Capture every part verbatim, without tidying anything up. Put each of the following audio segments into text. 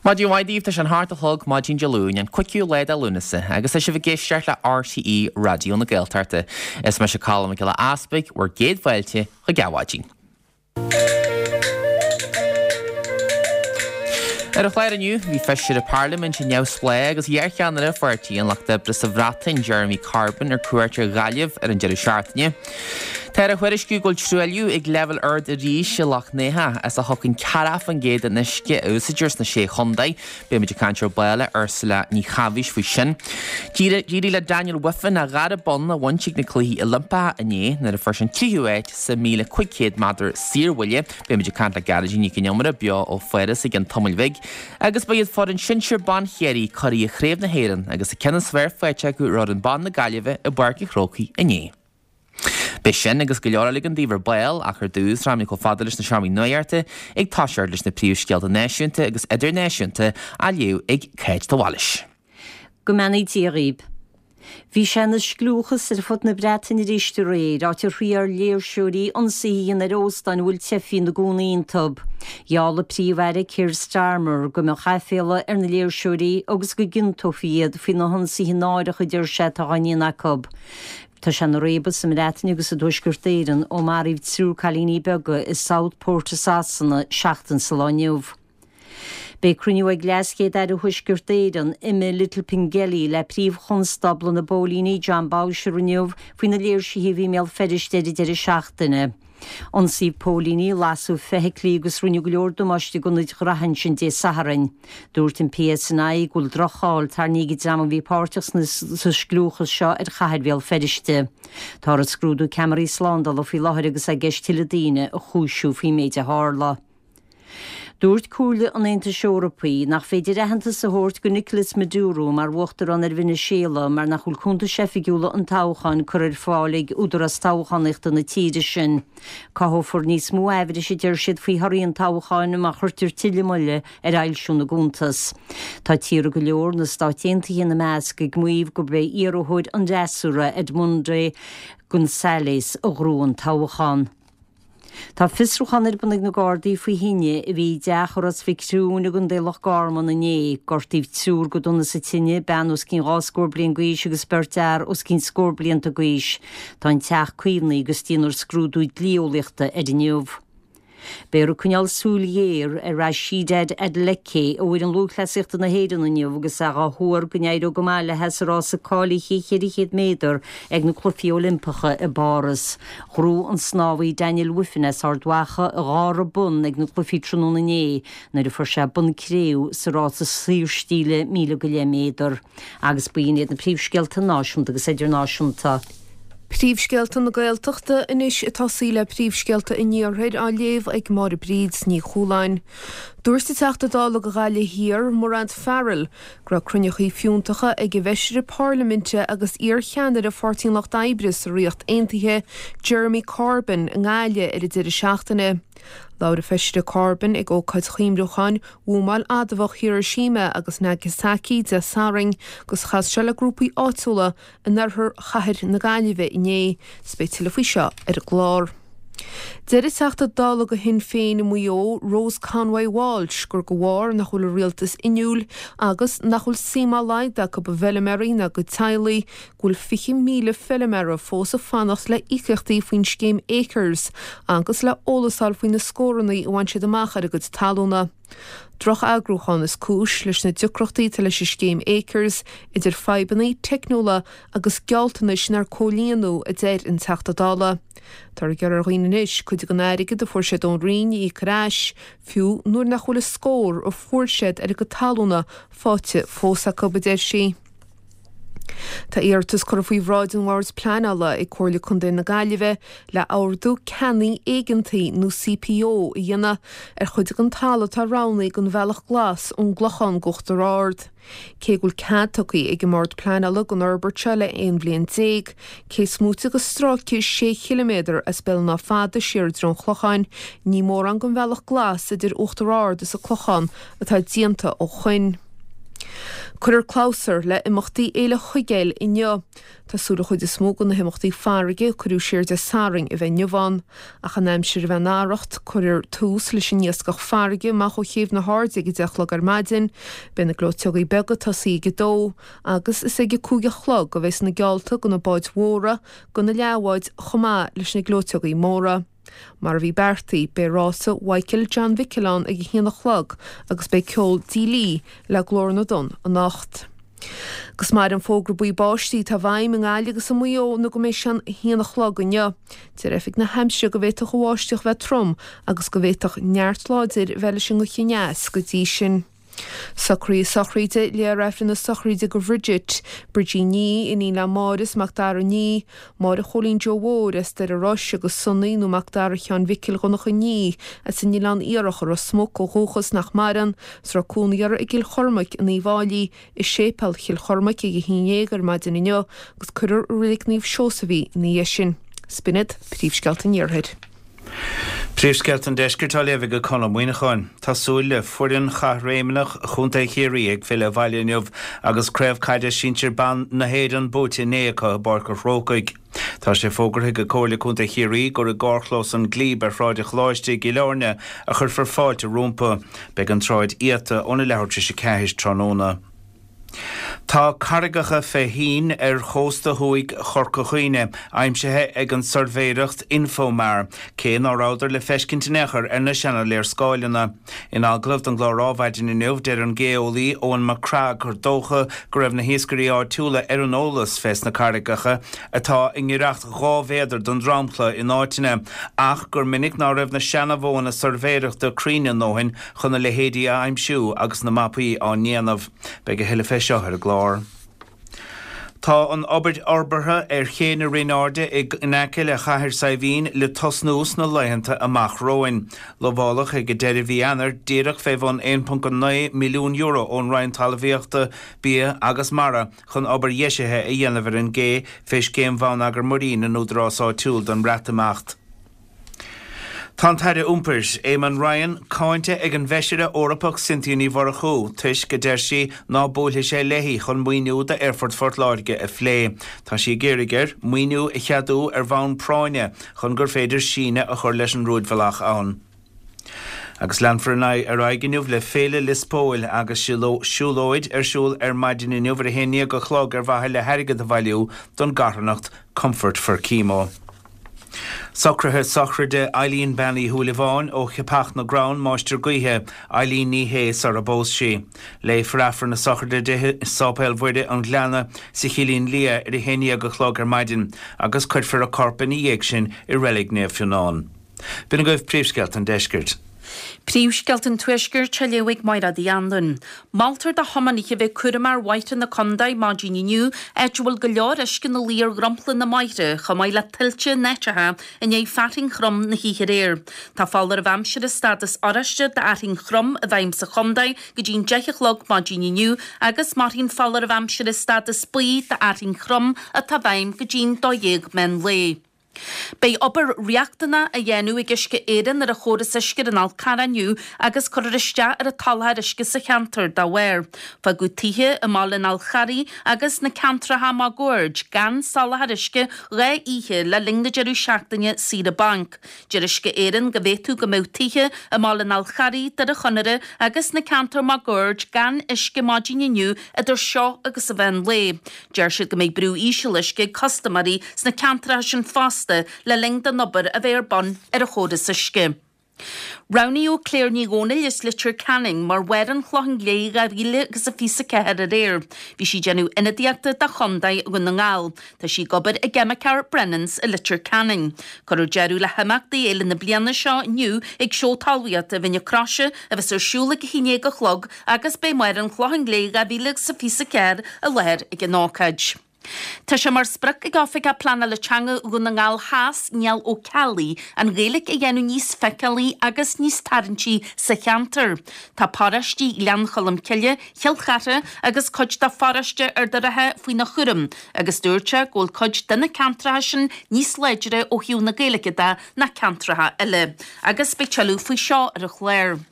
Maidin mhaith daoibh tá sé an hocht a chlog maidin Dé Luain an cúigiú lá de Lúnasa agus tá sibh ag éisteacht le RTÉ Raidió na Gaeltachta. Is mise Colm Mac Giolla Easpaig bhur gcéad fáilte chuig Adhmhaidin. Ar an chlár inniu, bhí feisire parlaiminte neamhspleách agus iarcheannaire Pháirtí an Lucht Oibre sa Bhreatain, Jeremy Corbyn, ar cuairt ar Ghaillimh ar an deireadh seachtaine. Tá á thuairisciú go bhfuil truailliú ag leibhéal ard arís i Loch nEathach as a thugann ceathracha faoin gcéad den uisce a úsáidtear sna sé chontae. Beimid ag caint ar ball le Ursula Ní Chaimhis faoi sin. D'éirigh le Daniel Wiffen a dhara bonn a bhaint ag na Cluichí Oilimpeacha inné nuair a fuair sé an tríú háit sa míle cúig chéad méadar saorbhuille. Beimid ag caint le Gearóidín Nic an Iomaire beo ó Pháras i gceann tamaill bhig. Agus ba iad foireann sinsir ban Chiarraí curaidh Chraobh na hÉireann agus an ceann is fearr faighte acu ar fhoireann ban na Gaillimhe i bPáirc an Chrócaigh inné. Beidh sin agus go leor eile againn daoibh ar ball ach ar dtús raghaimid chomh fada leis na seomraí nuachta ag toiseacht leis na príomhscéalta náisiúnta agus idirnáisiúnta á léamh ag Cáit de Bhailís. Go mbeannaí Dia dhaoib. Bhí sé ina scliúchas ar fud na Breataine arís aréir, áit ar thriail ar léirseoirí ionsaithe a dhéanamh ar óstáin a bhfuil teifigh ina gcónaí iontu. Gheall an Príomh-Aire Keir Starmer go mbeadh aiféala ar na léirseoirí agus go gciontófaí iad faoi na hionsaithe náireacha a deir sé atá á ndéanamh acu. Tá sé ina réabadh sa mBreatain agus i dTuaisceart Éireann ó maraíodh triúr cailíní beaga i Southport i Sasana seachtain sa lá inniu. Beidh cruinniú ag LeasChéad-Aire Thuaisceart Éireann, Emma Little Pengelly, le Príomh-Chonstábla na bPóilíní, Jon Boutcher inniu faoi na léirsithe a bhí i mBéal Feirste ar an deireadh seachtaine. Ionsaíodh póilíní, lasadh feithiclí agus rinneadh go leor damáiste d'ionaid ghraithe ansin Dé Sathairn. Dúirt an PSNI go bhfuil droch-cháil tarraingthe ag an dream a bhí páirteach sa scliúchas seo ar chathair Bhéal Feirste. Táthar ag scrúdú ceamaraí slándála faoi láthair agus é i gceist tuilleadh daoine a chúisiú faoin méid a tharla. Dúirt Comhairle an Aontais Eorpaigh nach féidir aitheantas a thabhairt go Nicolas Maduro mar uachtarán ar Veiniséala mar nach bhfuil cuntais oifigiúla an toghcháin curtha ar fáil ag údarás toghchánaíochta na tíre sin. Cothófar níos mó aimhris, a deir siad, faoi thorthaí an toghcháin má chuirtear tuilleadh moille ar fhoilsiú na gcuntas. Tá tíortha go leor, na Stáit Aontaithe ina measc, ag maíomh gurb é iarrthóir an fhreasúra, Edmundo González, a ghnóthaigh an toghchán. Tá fiosrúchán ar bun ag na Gardaí faoi thine a bhí i dteach i Ros Mhic Thriúin i gContae Loch Garman inné. Gortaíodh triúr go dona sa tine, bean os cionn dhá scór bliain d'aois agus beirt fhear os cionn scór blianta d'aois. Tá an teach caomhnaithe agus déanfar scrúdú dlí-eolaíochta air inniu. Beifear ag coinneáil súil ghéar ar Rhasidat Adeleke ó fhoireann lúthchleasaíochta na hÉireann inniu agus é á thuar go n-éireoidh go maith léi sa rása cáilithe ceithre chéad méadar ag na Cluichí Oilimpeacha i bPáras. Ghnóthaigh an snámhaí Daniel Wiffen as Ard Mhacha a dhara bonn ag na cluichí tráthnóna inné nuair a fuair sé bonn cré-umha sa rása saorstíle míle go leith méadar. Agus b'in iad na príomhscéalta náisiúnta agus idirnáisiúnta. Príomhscéalta na Gaeltachta anois ag tosaí le príomhscéalta an Iarthair á léamh ag Máire Bríd Ní Chualáin. Dúirt an Teachta Dála do Ghaillimh Thiar, Mairéad Farrell, go raibh cruinneachaí fiúntacha ag an bhFeisire Parlaiminte agus iar-cheannaire Pháirtí an Lucht Oibre sa Ríocht Aontaithe, Jeremy Corbyn, i nGaillimh ar an deireadh seachtaine. Labhair an Feisire Corbyn ag ócáid chuimhniúcháin bhuamáil adamhach Hiroshima agus Nagasaki Dé Sathairn agus chas sé le grúpaí áitiúla in oirthear chathair na Gaillimhe inné. 'S beidh tuilleadh faoi seo ar an gclár. Deir an Teachta Dála do Shinn Féin i Maigh Eo, Rose Conway Walsh, gur de bharr nach bhfuil an rialtas inniúil agus nach bhfuil suim dá laghad acu i bhfeilméaraí ná a gcuid teaghlaigh, go bhfuil fiche míle feilméara fós ag fanacht le íocaíochtaí faoin scéim Acres agus le eolas a fháil faoi na scóranna a bhain siad amach ar a gcuid talúna. Droch-eagrúchán is cúis leis na deacrachtaí atá leis an scéim Acres, idir fadhbanna teicniúla agus gealltanais nár comhlíonadh, a deir an Teachta Dála. Táthar ag iarraidh ar dhaoine anois cuid den airgead a fuair siad ón Roinn a íoc ar ais, fiú nuair nach bhfuil an scór a fuair siad ar a gcuid talúna faighte fós acu, a deir sí. Tá iarratas curtha faoi bhráid an Bhoird Pleanála ag Comhairle Contae na Gaillimhe le Ordú Ceannaigh Éigeantaigh nó CPO a dhéanamh ar chuid den talamh atá roghnaithe don Bhealach Glas ón gClochán go Uachtar Ard. Cé go bhfuil cead tugtha ag an mBord Pleanála don fhorbairt seo le aon bhliain déag, cé is móite de stráice sé chiliméadar as Béal an Átha Fada siar i dtreo an Chlocháin, ní mórán den Bhealach Glas idir Uachtar Ard is an Clochán atá déanta ó shoin. Cuirfear clabhsúr le imeachtaí Fhéile Chuigéil inniu. Tá súil an chuid is mó de na himeachtaí farraige a cuireadh siar Dé Sathairn a bheith inniu ann. Ach an aimsir a bheith ina arracht, cuirfear tús leis an iascach farraige amach ó Chéibh na hAirde ag a deich a chlog ar maidin. Beidh na gleoiteogaí beaga ag tosaí ag a dó, agus is ag a cúig a chlog a bheas na geallta do na báid mhóra, do na leathbháid chomh maith leis na gleoiteogaí móra. Mar a bhí beartaithe, beidh rása Mhichael John Mhicil ann ag a haon a chlog agus beidh ceol Dee Lee le Glór na dTonn anocht. Agus mairfidh an fógra buí báistí atá i bhfeidhm i nGaillimh agus i Maigh Eo nó go mbeidh sé an a haon a chlog inniu. Deir Oifig na hAimsire go bhféadfadh an bháisteach bheith trom agus go bhféadfadh neart láidir bheith leis an ngaoth aneas go dtí sin. Socruithe sochraide, Léifear Aifreann na sochraide do Bhridget, Bridgie Nee, iníon le Máire is Mac Dara Nee, Máire Chóilín Joe Mhóir as Doire Rois agus Sonaí nó Mac Dara Sheáin Mhicil Dhonncha Nee as an Oileán Iarthach i Ros Muc ó dhúchas nach maireann, is a raibh cónaí orthu i gCill Chormaic in Uíbh Fhailí, i Séipéal Chill Chormaic ag a haon dhéag ar maidin inniu agus cuirfear i Reilig Naomh Seosamh í ina dhiaidh sin. 'S b'in iad príomhscéalta an Iarthair. Príomhscéalta an Deiscirt á léamh ag Conn Ó Muíneacháin. Tá súil le foireann chaithréimeach Chontae Chiarraí ag filleadh abhaile inniu agus Craobh Caide Sinsir Ban na hÉireann buaite inné acu i bPáirc an Chrócaigh. Tá sé fógartha ag Comhairle Contae Chiarraí gur i gcarrchlós an Glebe ar Shráid an Choláiste i gCill Airne a chuirfear fáilte rompu. Beidh an tsráid iata óna leathuair tar éis a ceathair tráthnóna. Tá carraigeacha fé thoinn ar chósta thuaidh Chorca Dhuibhne aimsithe ag an tsuirbhéireacht Infomar, cé ná rabhadar le feiscint in aon chor ar na seana-léarscáileanna. In agallamh don gclár Adhmhaidin inniu, deir an geolaí Eoin Mac Craith gur dócha go raibh na hiascairí áitiúla ar an eolas fés na carraigeacha atá i ngiorracht dhá mhéadar don dromchla in áiteanna, ach gur minic ná raibh na seana-mhodhanna suirbhéireachta cruinn a ndóthain chun a leithéidí a aimsiú agus na mapaí á ndéanamh. Beidh a thuilleadh fé seo ar an gclár. Tá an obair fhorbartha ar Ché na Rinne Airde in aice le Cathair Saidhbhín le tosnú sna laethanta amach romhainn. Lamháladh ag deireadh mhí Eanáir díreach fé bhun aon ponc a naoi milliún euro ón Roinn Talmhaíochta, Bia agus Mara chun obair dheisithe a dhéanamh ar an gcé fé Scéim Bhonneagar Muirí na nÚdarás Áitiúil don Bhreatimeacht. Tá an tAire Iompair, Eamon Ryan, cáinte ag an bhFeisire Eorpach Cynthia Ní Mhurchú toisc, a deir sí, ná buailfidh sé léi chun maoiniú d'Aerfort Phort Láirge a phlé. Tá sí ag iarraidh air maoiniú a cheadú ar bhonn práinne chun gur féidir síneadh a chur leis an rúidbhealach ann. Agus leanfar ar aghaidh inniu le Féile Lios Póil agus siúlóid ar siúl ar maidin inniu ar a haon déag a chlog ar mhaithe le hairgead a bhailiú don gcarthanacht Comfort for Chemo. Socruithe sochraide Eileen Bean Uí Shúilleabháin ó Cheapach na gCrann, Máistir Gaoithe, Eileen Ní Shé sara bpós sí. Léifear Aifreann na sochraide di i Sáipéal Mhuire an Ghleanna sa Chillín Liath ar a haon déag a chlog ar maidin agus cuirfear a corp ina dhiaidh sin i Reilig Naomh Fionnán. B'in agaibh príomhscéalta an deiscirt. Príomhscéalta an Tuaiscirt á léamh ag Máire Uí Anluain. Moltar do thiománaithe a bheith cúramach ar bhóithre na contae maidin inniu, áit a bhfuil go leor uisce ina luí ar dhromchla na mbóithre, chomh maith le tuilte in áiteacha i ndiaidh fearthainn throm na hoíche aréir. Tá foláireamh aimsire stádas oráiste d'fhearthainn throm i bhfeidhm sa chontae go dtí'n deich a chlog maidin inniu agus mairfidh an foláireamh aimsire stádas buí d'fhearthainn throm atá i bhfeidhm go dtí'n dó dhéag meán lae. Beidh obair riachtanach á dhéanamh ag Uisce Éireann ar an chóras uisce ar an Fhál Carrach inniu agus cuirfear isteach ar an tsoláthar uisce sa cheantar dá bharr. Fágadh tithe i mbaile an Fháil Charraigh agus na ceantracha máguaird gan soláthar uisce dhá oíche le linn na deireadh seachtaine saoire bainc. Deir Uisce Éireann go bhféadfadh go mbeadh tithe i mbaile an Fháil Charraigh, Doire Chonaire agus na ceantair máguaird gan uisce maidin inniu idir seo agus an mheán lae. Deir siad go mbeidh brú íseal uisce ag custaiméirí sna ceantracha sin fosta le linn don obair a bheith ar bun ar an chóras uisce. Roghnaíodh Claire Ní Dhomhnaill as Leitir Ceanainn mar Mháire an Chlocháin Léith dhá mhíle agus a fiche a ceathair aréir. Bhí sí ag déanamh ionadaíochta do Chontae Dhún na nGall. Tá sí ag obair i gceimiceoir Brennans i Leitir Ceanainn. Cuirfear deireadh le himeachtaí fhéile na bliana seo inniu ag Seó Talmhaíochta Bhinn na Croise a bheas ar siúl ag a haon déag a chlog agus beidh Máire an Chlocháin Léith dhá mhíle agus a fiche a ceathair i láthair ag an ócáid. Tá sé mar sprioc ag Oifigeach Pleanála Teanga Dhún na nGall Theas, Niall Ó Ceallaigh, an Ghaeilge a dhéanamh níos feiceálaí agus níos tarraingtí sa cheantar. Tá paróistí Ghleann Cholm Cille, Chill Chartha agus cuid de pharóiste Ard an Rátha faoina chúram agus dúirt sé go bhfuil cuid de na ceantracha sin níos láidre ó thaobh na Gaeilge de ná ceantracha eile. Agus beidh tuilleadh faoi seo ar an chlár.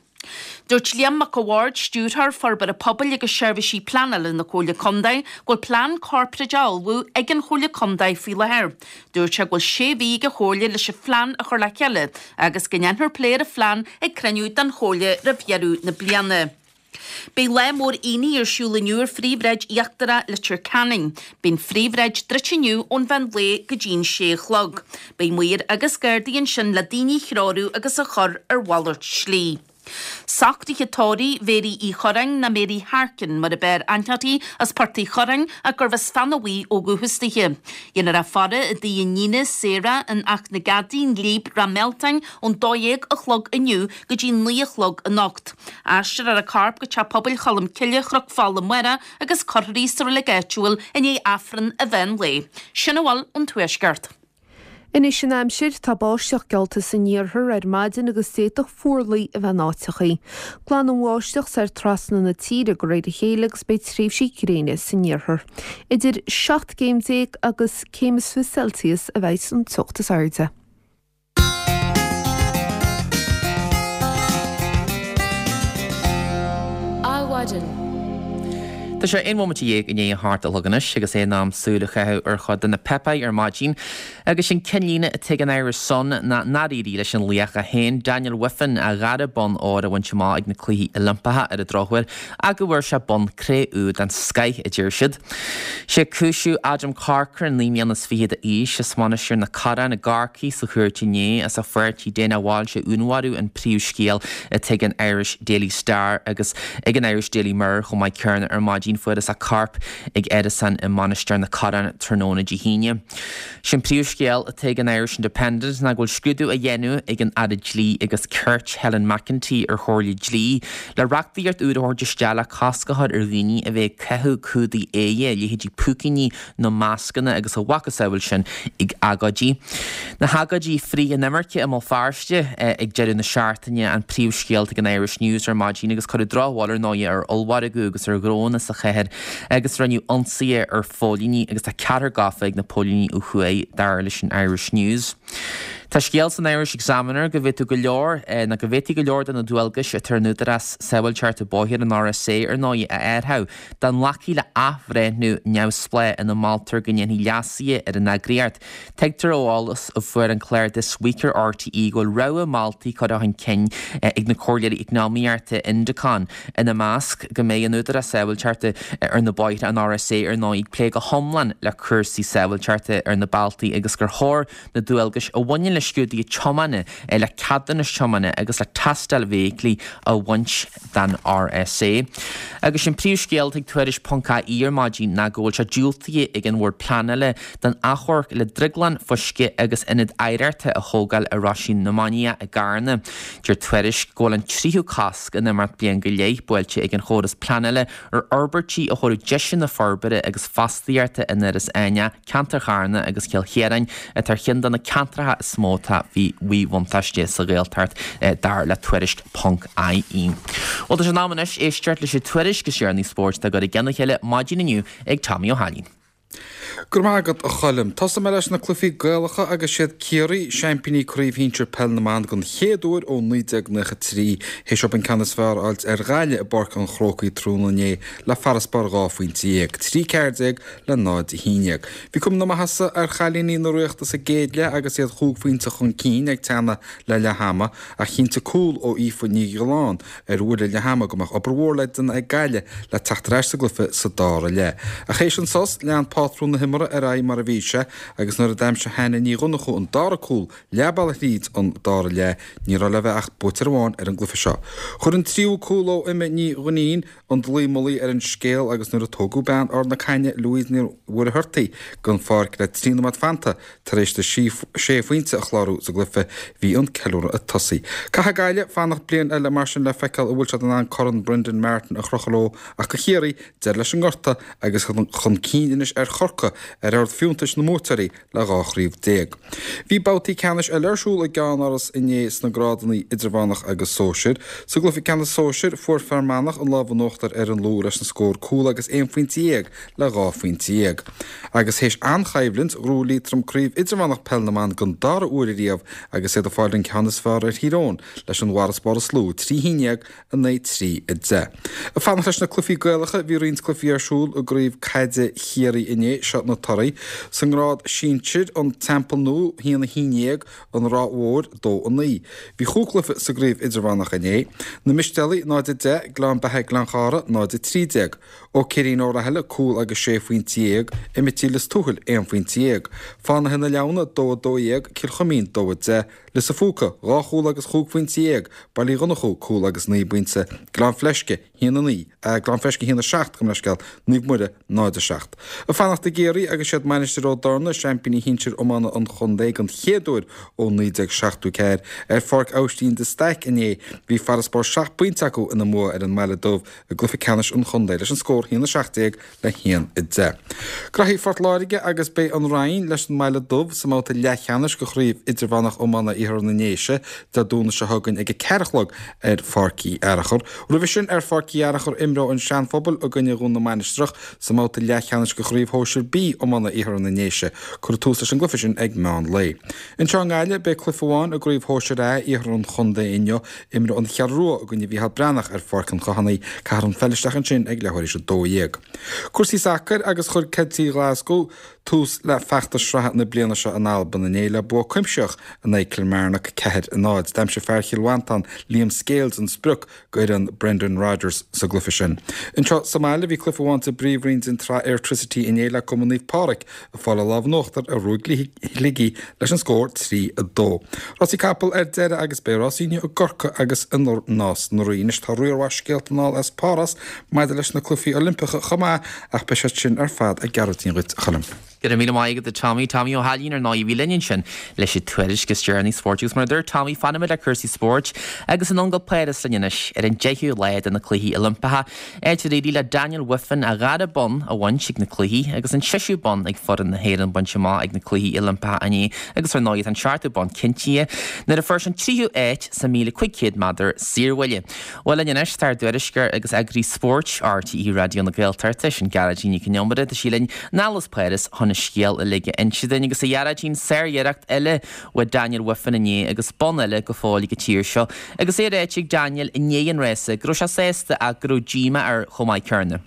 Dúirt Liam Mac a' Bhaird, Stiúrthóir Forbartha Pobail agus Seirbhísí Pleanála na Comhairle Contae, go bhfuil plean corparáide á ullmhú ag an Chomhairle Contae faoi láthair. Dúirt sé go bhfuil sé mhí ag an Chomhairle leis an phlean a chur le chéile agus go ndéanfar plé ar an phlean ag cruinniú den Chomhairle roimh dheireadh na bliana. Beidh lá mór aonaigh ar siúl inniu ar phríomhshráid íochtarach Leitir Ceanainn. Beidh an phríomhshráid druidte inniu ón mheán lae go dtí'n sé a chlog. Beidh maoir agus gardaí ansin le daoine a threorú agus a chur ar mhalairt slí. Socruithe tórraimh Mhéirí Uí Chorráin nó Mary Harkin mar ab fhearr aithne uirthi as Port Uí Chorráin ach gurbh as Feadhan Bhuí ó dhúchas dithe. Dhéanfar í a faire i dtigh a iníne Sarah in Each na gCeadaí, an Ghlíb, Ráth Mealtain ón dó dhéag a chlog inniu go dtí naoi a chlog anocht. Aistreofar a corp go Teach Pobail Cholm Cille, Chnoc Fola amárach agus cuirfear í sa reilig áitiúil i ndiaidh Aifreann an mheán lae. Sin a bhfuil ón Tuaisceart. Anois an aimsir, tá báisteach geallta san iarthar ar maidin agus d'fhéadfadh fuarlaigh a bheith in áiteachaí. Glanfaidh an bháisteach soir trasna na tíre de réir a chéile agus beidh tréimhsí gréine san iarthar. Idir seacht gcéim déag agus céim is fiche Celsius a bheidh an teocht is airde. Adhmhaidin. Tá sé aon bhomaite dhéag i ndiaidh a hocht a chlog anois agus é in am súil a chaitheamh ar chuid de na páipéir ar maidin agus sin cinnlíne atá ag an Irish Sun ná nár éirigh leis an laoch é féin, Daniel Wiffen, a dhara bonn óir a bhaint amach ag na Cluichí Oilimpeacha ar an drochuair ach go bhfuair sé bonn cré-umha den scoith, a deir siad. Sé cúiseamh Adam Corcoran, naoi mbliana is fiche d'aois, as Mainistir na Corann i gCorcaigh sa chúirt inné as a pháirtí Dana Walsh a dhúnmharú an príomhscéal atá ag an Irish Daily Star agus ag an Irish Daily Mirror chomh maith céanna ar maidin. Fuarthas a corp ag árasán i Mainistir na Corann tráthnóna Dé hAoine. Sin príomhscéal atá ag an Irish Independent ná go bhfuil scrúdú á dhéanamh ag an Aire Dlí agus Cirt Helen McEntee ar chomhairle dlí le reachtaíocht úr a thabhairt isteach le cosc a chur ar dhaoine a bheith ag caitheamh cumhdaigh aghaidhe, leithéidí púicíní nó mascanna agus a mhacasamhail sin ag agóidí. Na hagóidí frith-inimirce i mBéal Feirste ag deireadh na seachtaine an príomhscéal ag an Irish News ar maidin agus cuireadh drochbhail ar ndóigh ar ollmhargadh agus ar ghnónna sa chathair agus rinneadh ionsaithe ar phóilíní agus tá ceathrar gafa ag na póilíní ó thuaidh, dar leis an Irish News. Tá scéal san Irish Examiner go bhféadfadh go leor, nó go bhféadfaí go leor de na dualgais atá ar an Údarás Sábháilteachta Bóthair, an RSA, ar ndóigh, a athrú dá nglacfaí le athbhreithniú neamhspleách ina moltar go ndéanfaí leasuithe ar an eagraíocht. Tuigtear ó eolas a fuair an clár This Week ar RTÉ go bhfuil rogha moltaí curtha chun cinn ag na comhairleoirí eacnamaíochta Indecon, ina measc, go mbeidh an Údarás Sábháilteachta ar na Bóithre, an RSA, ar ndóigh, ag plé go hiomlán le cúrsaí sábháilteachta ar na bealtaí agus gur chóir na dualgais a bhaineann le scrúduithe tiomána, le ceadúnais tiomána agus le tástáil feithiclí a bhaint den RSA. Agus sin príomhscéal ag Tuairisc ponc IE ar maidin ná go bhfuil sé diúltaithe ag an Bhord Pleanála don achomharc le drioglann fuisce agus ionad oidhreachta a thógáil i Roisín na Mainiach i gCarna. Deir Tuairisc go bhfuil an tríú cosc in imeacht bliain go leith buailte ag an chóras pleanála ar fhorbairtí a thabharfadh deiseanna forbartha agus fostaíochta in Iorras Aithneach, ceantar Charna agus Chill Chiaráin atá ar cheann de na ceantracha is mó atá faoi mhíbhuntáiste sa Ghaeltacht, dar le Tuairisc ponc IE. Bhuel, tá sé in am anois éisteacht leis an tuairisc is deireanaí spóirt á gcur i gcionn a chéile maidin inniu ag Tommy Ó hAilín. Go raibh maith agat, a Choilm. Tosóidh mé leis na cluichí Gaelacha agus siad Ciarraí, seaimpíní Craobh Shinsir Peil na mBan den chéad uair ó naoi déag nócha trí, théis dóibh an ceann is fearr a fháilt ar Ghaillimh i bPáirc an Chrócaigh tráthnóna inné le farasbarr dhá phointe dhéag, trí ceathair déag le náid a haon déag. Bhí cuma na maitheasa ar chailíní na Ríochta sa gcéad leath agus iad chúig phointe chun cinn ag teannadh le leath ama ach chinntigh cúl ó Aoife Ní Ghiolláin ar bhuille leath ama go mbeadh obair mhór le déanamh ag Gaillimh le teacht ar ais sa gcluiche sa dara leath. Ach théis an sos, lean pátrún na himeartha ar aghaidh mar a bhí sé agus nuair a d'aimsigh Hannah Ní Dhonnchú an dara cúl leath bealaigh thríd an dara leath, ní raibh le bheith ach buaiteoir amháin ar an gcluiche seo. Chuir an tríú cúl ó Emma Ní Dhuinnín an dlaoi mullaigh ar an scéal agus nuair a tógadh bean Ard na Caithne, Louise Ní Mhuircheartaigh, den pháirc le trí nóiméad fanta tar éis di sé phointe a chlárú sa gcluiche, bhí an ceiliúradh ag tosaí. Caithfidh Gaillimh fanacht bliain eile mar sin le feiceáil an bhfuil siad in ann Corn Brendan Martin a chrochadh leo ach do Chiarraí, deireadh leis an ngorta agus chun cinn anois ar Chorcaigh ar ord fiúntais na mbuaiteoirí le dhá chraobh déag. Bhí babhtaí ceannais eile ar siúl i gceannáras inné sna grádanna idirmheánach agus sóisir. Sa gcluiche ceannais sóisir, fuair Fear Manach an lámh in uachtar ar an Lú leis an scór cúl agus aon phointe dhéag le dhá phointe dhéag. Agus théis an-choimhlint, ghnóthaigh Liatroim Craobh Idirmheánach Peil na mBan den dara huair ariamh agus iad ag fáil an ceann is fearr ar Thír Eoghain leis an bhfarasbarr is lú, trí haon déag, a naoi, trí, a deich. Ag fanacht leis na cluichí Gaelacha, bhí roinnt cluichí ar siúl i gCraobh Caide Chiarraí inné, seo na torthaí. Sa ngrád sinsir, An Teampall Nua, a haon a haon déag, An Ráth Mhóir, dó a naoi. Bhí chúig chluiche sa gcraobh idirmheánach inné, Na Mistéalaigh, náid a deich, Gleann Beatha Gleann Chara, náid a trí déag. Ó Céirín Ó Rathaille, cúl agus sé phointe dhéag, Emittí Lios Tuathail, aon phointe dhéag. Fánaithe na Leamhna, dó a dó dhéag, Cill Chuimín, dó a deich, Lios a' Phúca, dhá chúl agus chúig phointe dhéag, Baile Uí Dhonnchú, cúl agus naoi bpointe, Gleann Fleisce, haon a naoi, Gleann Fleisce, haon a seacht, gabh mo leithscéal, Naomh Muire, náid a seacht. Ag fanacht i gCiarraí agus siad Mainistir Ó dTorna, seaimpíní shinsir iomána an chontae den chéad uair ó naoi déag seachtó ceathair, ar Pháirc Aibhistín de Staic inné, bhí farasbarr seacht bpointe acu ina mbua ar an mBaile Dubh i gcluiche ceannais an chontae leis an scór haon a seacht déag le haon a deich. Graithí Phort Láirge agus beidh an Rinn leis an mBaile Dubh sa mbabhta leathcheannais de Chraobh Idirmheánach Iomána Iarthar na nDéise Dé Domhnaigh seo chugainn ag a ceathair a chlog ar Pháirc Uí Fhearachair. Roimhe sin ar Pháirc Uí Fhearachair imreoidh an Seanphobal i gcoinne Dhún na Mainistreach sa mbabhta leathcheannais de Chraobh Shóisir B Iomána Iarthar na nDéise. Cuirfear tús leis an gcluiche sin ag meán lae. Anseo i nGaillimh beidh cluiche amháin i gCraobh Shóisir A Iarthar an Chontae inniu. Imreoidh an Cheathrú Rua i gcoinne Mhícheál Breathnach ar Pháirc an Chathánaigh. Caithfear an pheil isteach ansin ag leathuair théis a dó dhéag. Cúrsaí sacair agus chuir Ceiltigh Ghlaschú tús le feachtas sraithe na bliana seo in Albain inné le bua cuimsitheach in aghaidh Kilmarnock, ceathair a náid. D'aimsigh fear Chill Mhantáin, Liam Scales an sprioc d'fhoireann Brendan Rodgers sa gcluiche sin. Anseo sa mbaile bhí cluiche amháin sa bpríomhroinn den tsraith Airtricity inné le Cumann Naomh Pádraig ag fáil an lámh in uachtar ar Ruaig Shligigh leis an scór trí a dó. Rásaí capall ar deireadh agus beidh rásaí inniu i gCorcaigh agus i Nás na Rí. Anois tá riar mhaith scéalta anall as Páras maidir leis na Cluichí Oilimpeacha chomh maith ach beidh siad sin ar fad i gCeathrú duit, a Choilm. Go raibh míle maith agat a Tommy. Tommy Ó hAilín ar ndóigh a bhí linn ansin leis an tuairisc is deireanaí spóirt agus mar a dúirt Tommy fanfaimid le cúrsaí spóirt agus anonn go Páras linn anois ar an deichiú lá de na Cluichí Oilimpeacha, áit ar éirigh le Daniel Wiffen a dhara bonn a bhaint ag na cluichí agus an seisiú bonn ag foireann na hÉireann bainte amach ag na Cluichí Oilimpeacha inné agus ar ndóigh tá an seachtú bonn cinntithe nuair a fuair sé an tríú áit sa míle cúig chéad méadar saorbhuille. Bhuel linn anois tá ár dtuairisceoir agus eagraí spóirt RTÉ Raidió na Gaeltachta, sin Gearóidín Nic Con Iomaire, tá sí linn anall as Páras chun an scéal uilig a inse duinn agus a Ghearóidín sáriarracht eile uaidh Daniel Wiffen inné agus bonn eile go fóill ag an tír seo agus é ráite ag Daniel i ndiaidh an rása go raibh sé sásta ach go raibh díomá air chomh maith céanna.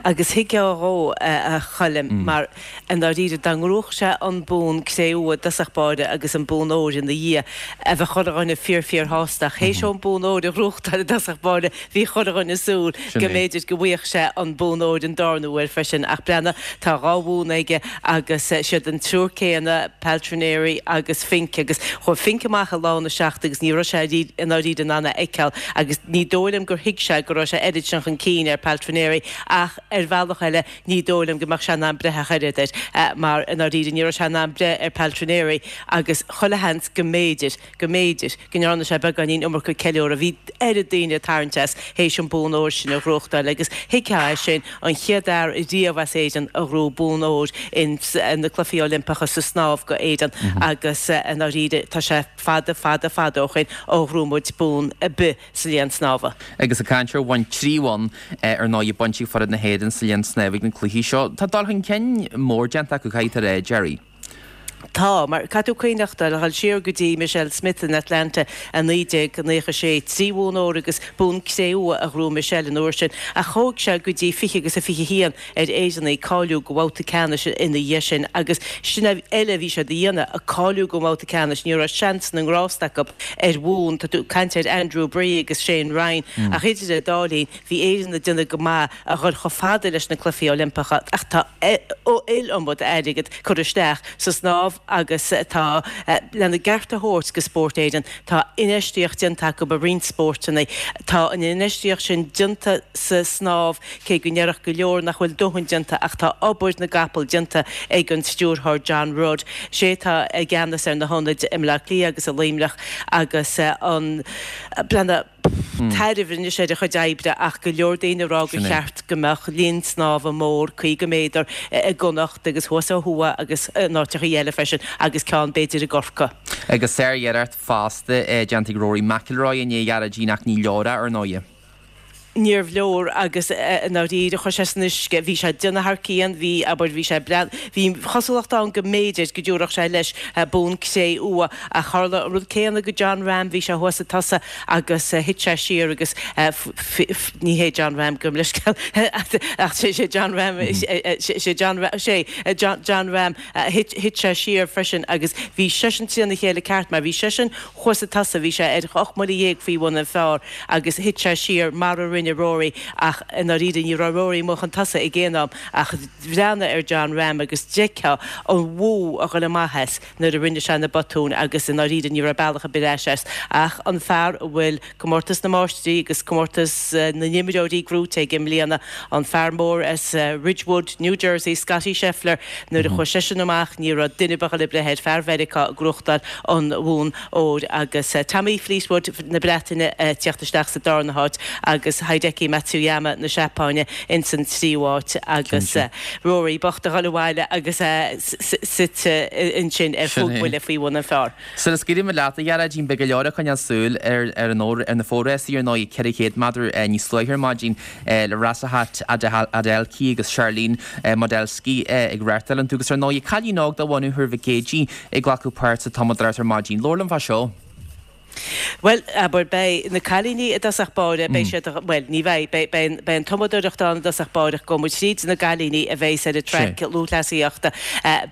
Agus thuigfeá dhó, a Choilm, mar i ndáiríre, dá ngnóthódh sé an bonn cré-umha i dtosach báire agus an bonn óir ina dhiaidh, bheadh chuile dhuine fíor fíor shásta. Ach théis dó an bonn óir a ghnóthachtáil i dtosach báire, bhí chuile dhuine ag súil Sin go é. mb'fhéidir go bhfaigheadh sé an bonn óir an darna huair freisin. Ach breathnaigh, tá dhá bhonn aige agus siad an triúr céanna, Paltrinieri agus Fink, agus chuaigh Fink amach i lána seacht agus ní raibh sé i ndáiríre in ann é a fheiceáil agus ní dóigh liom gur thuig sé go raibh sé oiread sin chun cinn ar Paltrinieri ach ar bhealach eile ní dóigh liom go mbeadh sé in ann breith ach oiread air mar i ndáiríre ní raibh sé in ann breith ar Paltrinieri agus chuile sheans go mb'fhéidir, go mb'fhéidir go ndearna sé beagáinín iomarca ceiliúradh. Bhí oiread daoine ag tarraingt as théis an bonn óir sin a ghnóthachtáil agus thuigfeá é sin, an chéad fhear riamh as Éirinn a ghnóthaigh bonn óir ins na Cluichí Oilimpeacha sa snámh go Éirinn agus i ndáiríre tá sé fada, fada, fada ó shoin ó ghnóthaigh muid bonn ar bith sa léann snámha. Agus ag caint ar bhoinn, trí bhonn ar ndóigh bainte ag foireann na hÉireann sa léann snámha ag na cluichí seo. Tá dul chun cinn mór déanta acu, caithfidh tú a rá, Gerry. Tá, mar caithfidh tú cuimhneachtáil, a dhul siar go dtí Michelle Smith in Atlanta i naoi déag naocha a sé, trí bhonn óir agus bonn cré-umha a ghnóthaigh Michelle an uair sin, ach thóg sé go dtí fiche agus a fiche haon ar Éireannaigh cáiliú go bhabhta ceannais ina dhiaidh sin agus sin uile a bhí siad a dhéanamh, ag cáiliú go mbabhta ceannais, ní raibh seans na ngrást acu ar bhonn, tá tú ag caint ar Andrew Bree agus Shane Ryan, ach idir an dá linn bhí Éirinn ag déanamh go maith a dhul chomh fada leis na Cluichí Oilimpeacha ach tá iliomad airgead curtha isteach sa snámh agus tá, lena gceart a thabhairt go Spórt Éireann, tá infheistíocht déanta acu i roinnt spóirteanna. Tá an infheistíocht sin déanta sa snámh, cé go ndéarfadh go leor nach bhfuil dóthain déanta ach tá obair na gcapall déanta ag an stiúrthóir John Rudd. Sé atá i gceannas ar na hionaid i mBleá Cliath agus i Luimneach agus an, breathnaigh, Tairbhe anois ar a chuid oibre ach go leor daoine ag rá gur cheart go mbeadh linn snámha mór caoga méadar i gConnacht agus thuas ó thuaidh agus in áiteachaí eile freisin agus ceann b'fhéidir i gCorcaigh. Agus sár-iarracht fosta déanta ag Rory McIlroy inné, a Ghearóidín, ach ní leor é, ar ndóigh. Níorbh leor agus i ndáiríre chuaigh sé san uisce. Bhí sé ag déanamh thar cionn, bhí, abair, bhí sé breá, bhí cosúlacht ann go mb'fhéidir go dtabharfadh sé leis bonn cré-umha ach tharla an rud céanna go Jon Rahm, bhí sé thuas ag tosach agus thit sé siar agus ní hé Jon Rahm, gabh mo leithscéal ach sé sé Jon Rahm, sé Jon Rahm, sé Jon Rahm, thit sé siar freisin agus bhí seisean trína chéile ceart mar bhí seisean thuas ag tosach, bhí sé ar ocht mbuille dhéag faoi bhun an phar agus thit sé siar mar a rinne Rory ach i ndáiríre ní raibh Rory amuigh chun tosaigh ag aon am ach bhreathnaigh ar Jon Rahm agus d'fheicfeá an bhú a ghoil amach as nuair a rinne sé na botúin agus i ndáiríre ní raibh bealach ar bith ar ais as ach an fear a bhfuil Comórtas na Máistrí agus Comórtas na nImreoirí gnóite aige i mbliana, an fear mór as Ridgewood, New Jersey, Scottie Scheffler, nuair a chuaigh seisean amach ní raibh duine ar bith a ghoil ag breith air, fear Mheiriceá ag gnóthachtáil an bhonn óir agus Tommy Fleetwood na Breataine ag tíocht isteach sa darna háit agus Hideki Matsuyama na Seapáine ins an tríú háit agus Rory bocht a dhul abhaile agus é suite ansin ar chúig bhuille faoi bhun an phar. Sula scaoilimid leat, a Ghearóidín, beidh go leor ag coinneáil súil ar ar na fórásaí ar ndóigh, ceithre chéad méadar níos luaithe ar maidin le Rhasidat Adeleke agus Sharlene Mawdsley ag reáchtáil iontu agus ar ndóigh cailín óg de bhunadh Thuar Mhic Éadaigh ag glacadh páirt sa tumadóireacht ar maidin. Labhair liom fá seo. Bhuel, abair, beidh na cailíní i dtosach báire, beidh siad, bhuel, ní bheidh, beidh, beidh, beidh an tumadóireacht ann i dtosach báire ach gabhfaidh muid tríd na gcailíní a bheas ar an traic lúthchleasaíochta.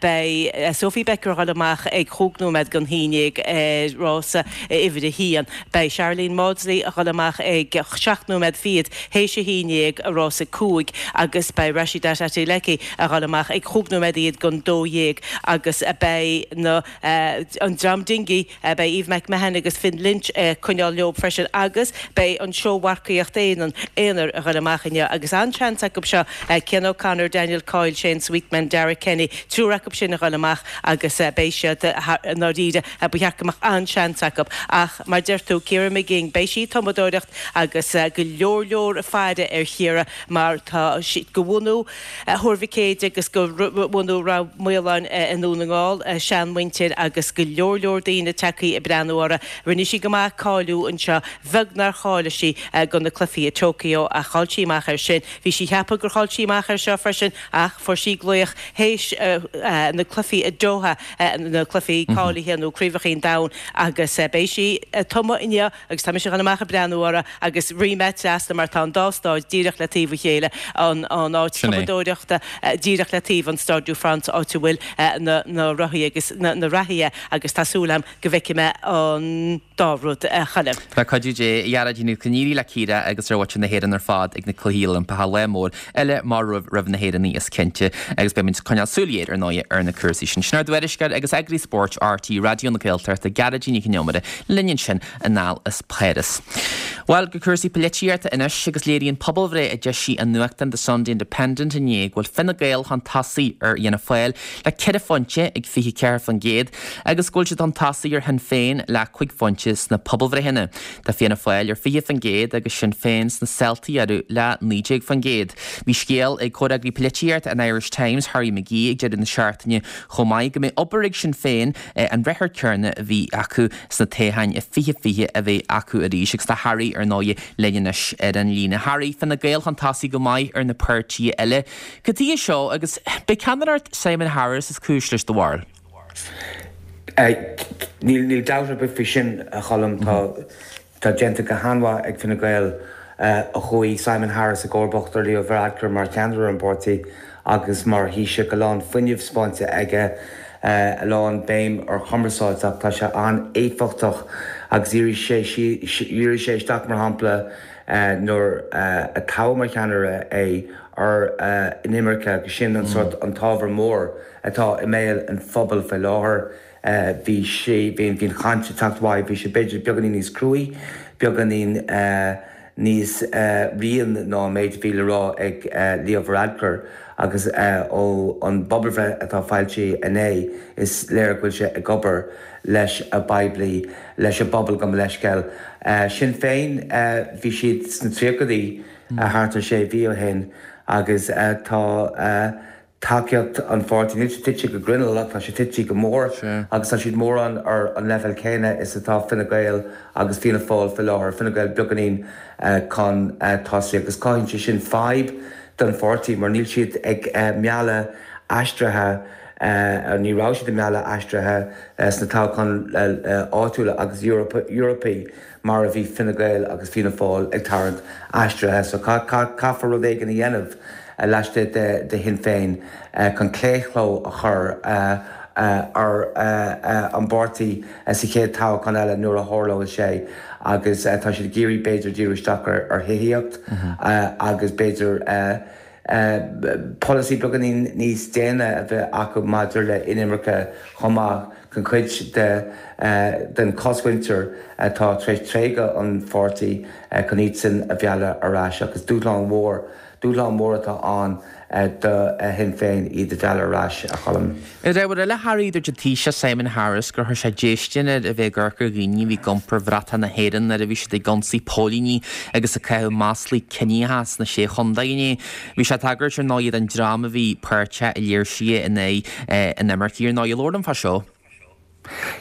Beidh Sophie Becker a dhul amach ag chúig nóiméad don haon déag ar rása uimhir a haon. Beidh Sharlene Mawdsley a dhul amach ag seacht nóiméad fichead théis a haon déag ar rása cúig agus beidh Rhasidat Adeleke a dhul amach ag chúig nóiméad fhichead don dó dhéag agus beidh na, an dream dingí, beidh Eve McMahon agus Finn Lynch ag coinneáil leo freisin agus beidh an seó-mharcaíocht aonair a ghoil amach inniu agus an-seans acu seo, Cian O'Connor, Daniel Coyle, Shane Sweetman, Darragh Kenny, triúr acu sin a ghoil amach agus beidh siad i ndáiríre, ba cheart go mbeadh an-seans acu. Ach mar deir tú, Ciara Mageean, beidh sí ag tumadóireacht agus go leor leor ag faire ar Chiara mar tá sí de bhunú Thuar Mhic Éadaigh agus de bhunú Ráth Maoláin i nDún na nGall, a seanmhuintir agus go leor leor daoine tagthaí ag breathnú uirthi. Rinne sí go maith cáiliú anseo, bheag nár cháiligh sí do na cluichí i Tokyo ach chaill sí amach air sin. Bhí sí cheapadh gur chaill sí amach air seo freisin ach fuair sí glaoch théis na cluichí i Doha, na cluichí cáilithe nó Craobhacha an Domhain agus beidh sí ag tumadh inniu agus tá mise ag dul amach ag breathnú uirthi agus rith mé trasna mar tá an dá stáid díreach le taobh a chéile, an áit tumadóireachta díreach le taobh an Stade de France áit a bhfuil na rothaí agus na reathaithe agus tá súil agam go bhfeicfidh mé an dá rud a Choilm. Le cuidiú Dé, a Ghearóidín, go n-éirí le Ciara agus le muintir na hÉireann ar fad ag na Cluichí Oilimpeacha, lá mór eile mar roimh na hÉireannaigh is cinnte agus beidh muid ag coinneáil súil ghéar ar ndóigh ar na cúrsaí sin. Sin ár dtuairisceoir agus eagraí spóirt RTÉ Raidió na Gaeltachta, Gearóidín Nic Con Iomaire, linn ansin anall as Páras. Bhuel, go cúrsaí polaitíochta anois agus léiríonn pobalbhreith a d'eisigh an nuachtán The Sunday Independent inné go bhfuil Fine Gael chun tosaigh ar Fhianna Fáil le ceithre phointe ag fiche ceathair faoin gcéad agus go bhfuil siad chun tosaigh ar Shinn Féin le cúig phointe sna pobalbhreitheanna. Tá Fianna Fáil ar fiche faoin gcéad agus Sinn Féin sna seiltí orthu le naoi déag faoin gcéad. Bhí scéal ag comhfhreagraí polaitíochta an Irish Times, Harry McGee, ag deireadh na seachtaine chomh maith go mbeidh obair ag Sinn Féin an ruathar céanna a bhí acu sna toghcháin i fiche fiche a bheith acu arís agus tá Harry ar ndóigh linn anois ar an líne. Harry, Fine Gael chun tosaigh go maith ar na páirtithe eile. Cad chuige seo agus b'é ceannaireacht Simon Harris is cúis leis do bharúil? Níl dabht ar bith faoi sin, a Choilm. Tá déanta go han-mhaith ag Fine Gael ó chuaigh Simon Harris i gcomharbacht ar Leo Varadkar mar cheannaire an pháirtí agus mar Thaoiseach, a lán fuinnimh spáinte aige, a lán béim ar chumarsáid ach tá sé an-éifeachtach agus dhírigh sé dhírigh sé isteach mar shampla nuair a toghadh mar cheannaire é ar an imirce agus sin an sort an t-ábhar mór atá i mbéal an phobail faoi láthair. Bhí sé bhí an chaint ag teacht uaidh, bhí sé b'fhéidir beagáinín níos cruaí, beagáinín níos rian ná an méid a bhí le rá ag Leo Varadkar agus ó an bpobalbhreith atá foilsithe inné is léir go bhfuil sé ag obair leis an bpoiblí, leis an bpobal gabh mo leithscéal. Sinn Féin, bhí siad sna tríochaidí thart ar sé mhí ó shin agus tá tacaíocht an pháirtí, níl sé tite go grinneall ach tá sé tite go mór agus tá siad mórán ar an leibhéal céanna is atá Fine Gael agus Fianna Fáil faoi láthair, Fine Gael beagáinín chun tosaigh agus cothaíonn sé sin fadhb don pháirtí mar níl siad ag mealladh aistrithe, ní raibh siad ag mealladh aistrithe sna toghcháin áitiúla agus Eorpaí mar a bhí Fine Gael agus Fianna Fáil ag tarraingt aistrithe so caithfear rud éigin a dhéanamh. laistigh de Shinn Féin chun claochló a chur ar an bpáirtí sa chéad toghchán eile nuair a tharlóidh sé agus tá siad ag iarraidh b'fhéidir díriú isteach ar thithíocht agus b'fhéidir polasaí beagáinín níos déine a bheith acu maidir le inimirce chomh maith chun cuid den chosmhuintir atá tar éis tréigeadh an pháirtí chun iadsan a mhealladh ar ais agus dúshlán mhór Dúshlán mór atá ann do Shinn Féin iad a mhealladh ar ais, a Choilm. Ar ábhar eile, Harry, dúirt an Taoiseach Simon Harris gur chuir sé déistin air a bheith ag amharc ar dhaoine a bhí ag iompar bhratach na hÉireann nuair a bhí siad ag ionsaí póilíní agus ag caitheamh maslaí ciníocha sna Sé Chontae inné. Bhí sé ag tagairt ar ndóigh don dream a bhí páirteach i léirsithe in aghaidh an imirce ar ndóigh. Labhair liom fá seo.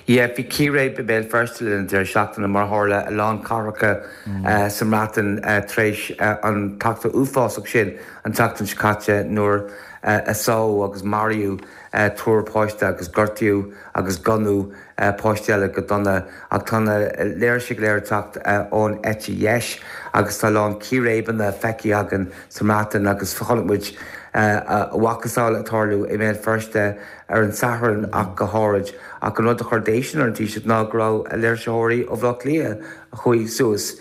Yeah, bhí círéib i mBéal Feirste le linn an deireadh seachtaine, mar a tharla i lán cathracha sa mBreatain tar éis an t-eachtra uafásach sin an tseachtain seo caite nuair a sádh agus maraíodh triúr páiste agus gortaíodh agus gonnadh páistí eile go dona. Ach tá na léirsithe go léir ag teacht ón eite dheis agus tá a lán círéibeanna feicthe againn sa mBreatain agus chonaic muid a mhacasamhail ag tarlú i mBéal Feirste ar an Satharn ach go háirid. Ach an rud a chuir déistin ar an Taoiseach ná go raibh léirsitheoirí ó Bhaile Átha Cliath a chuaigh suas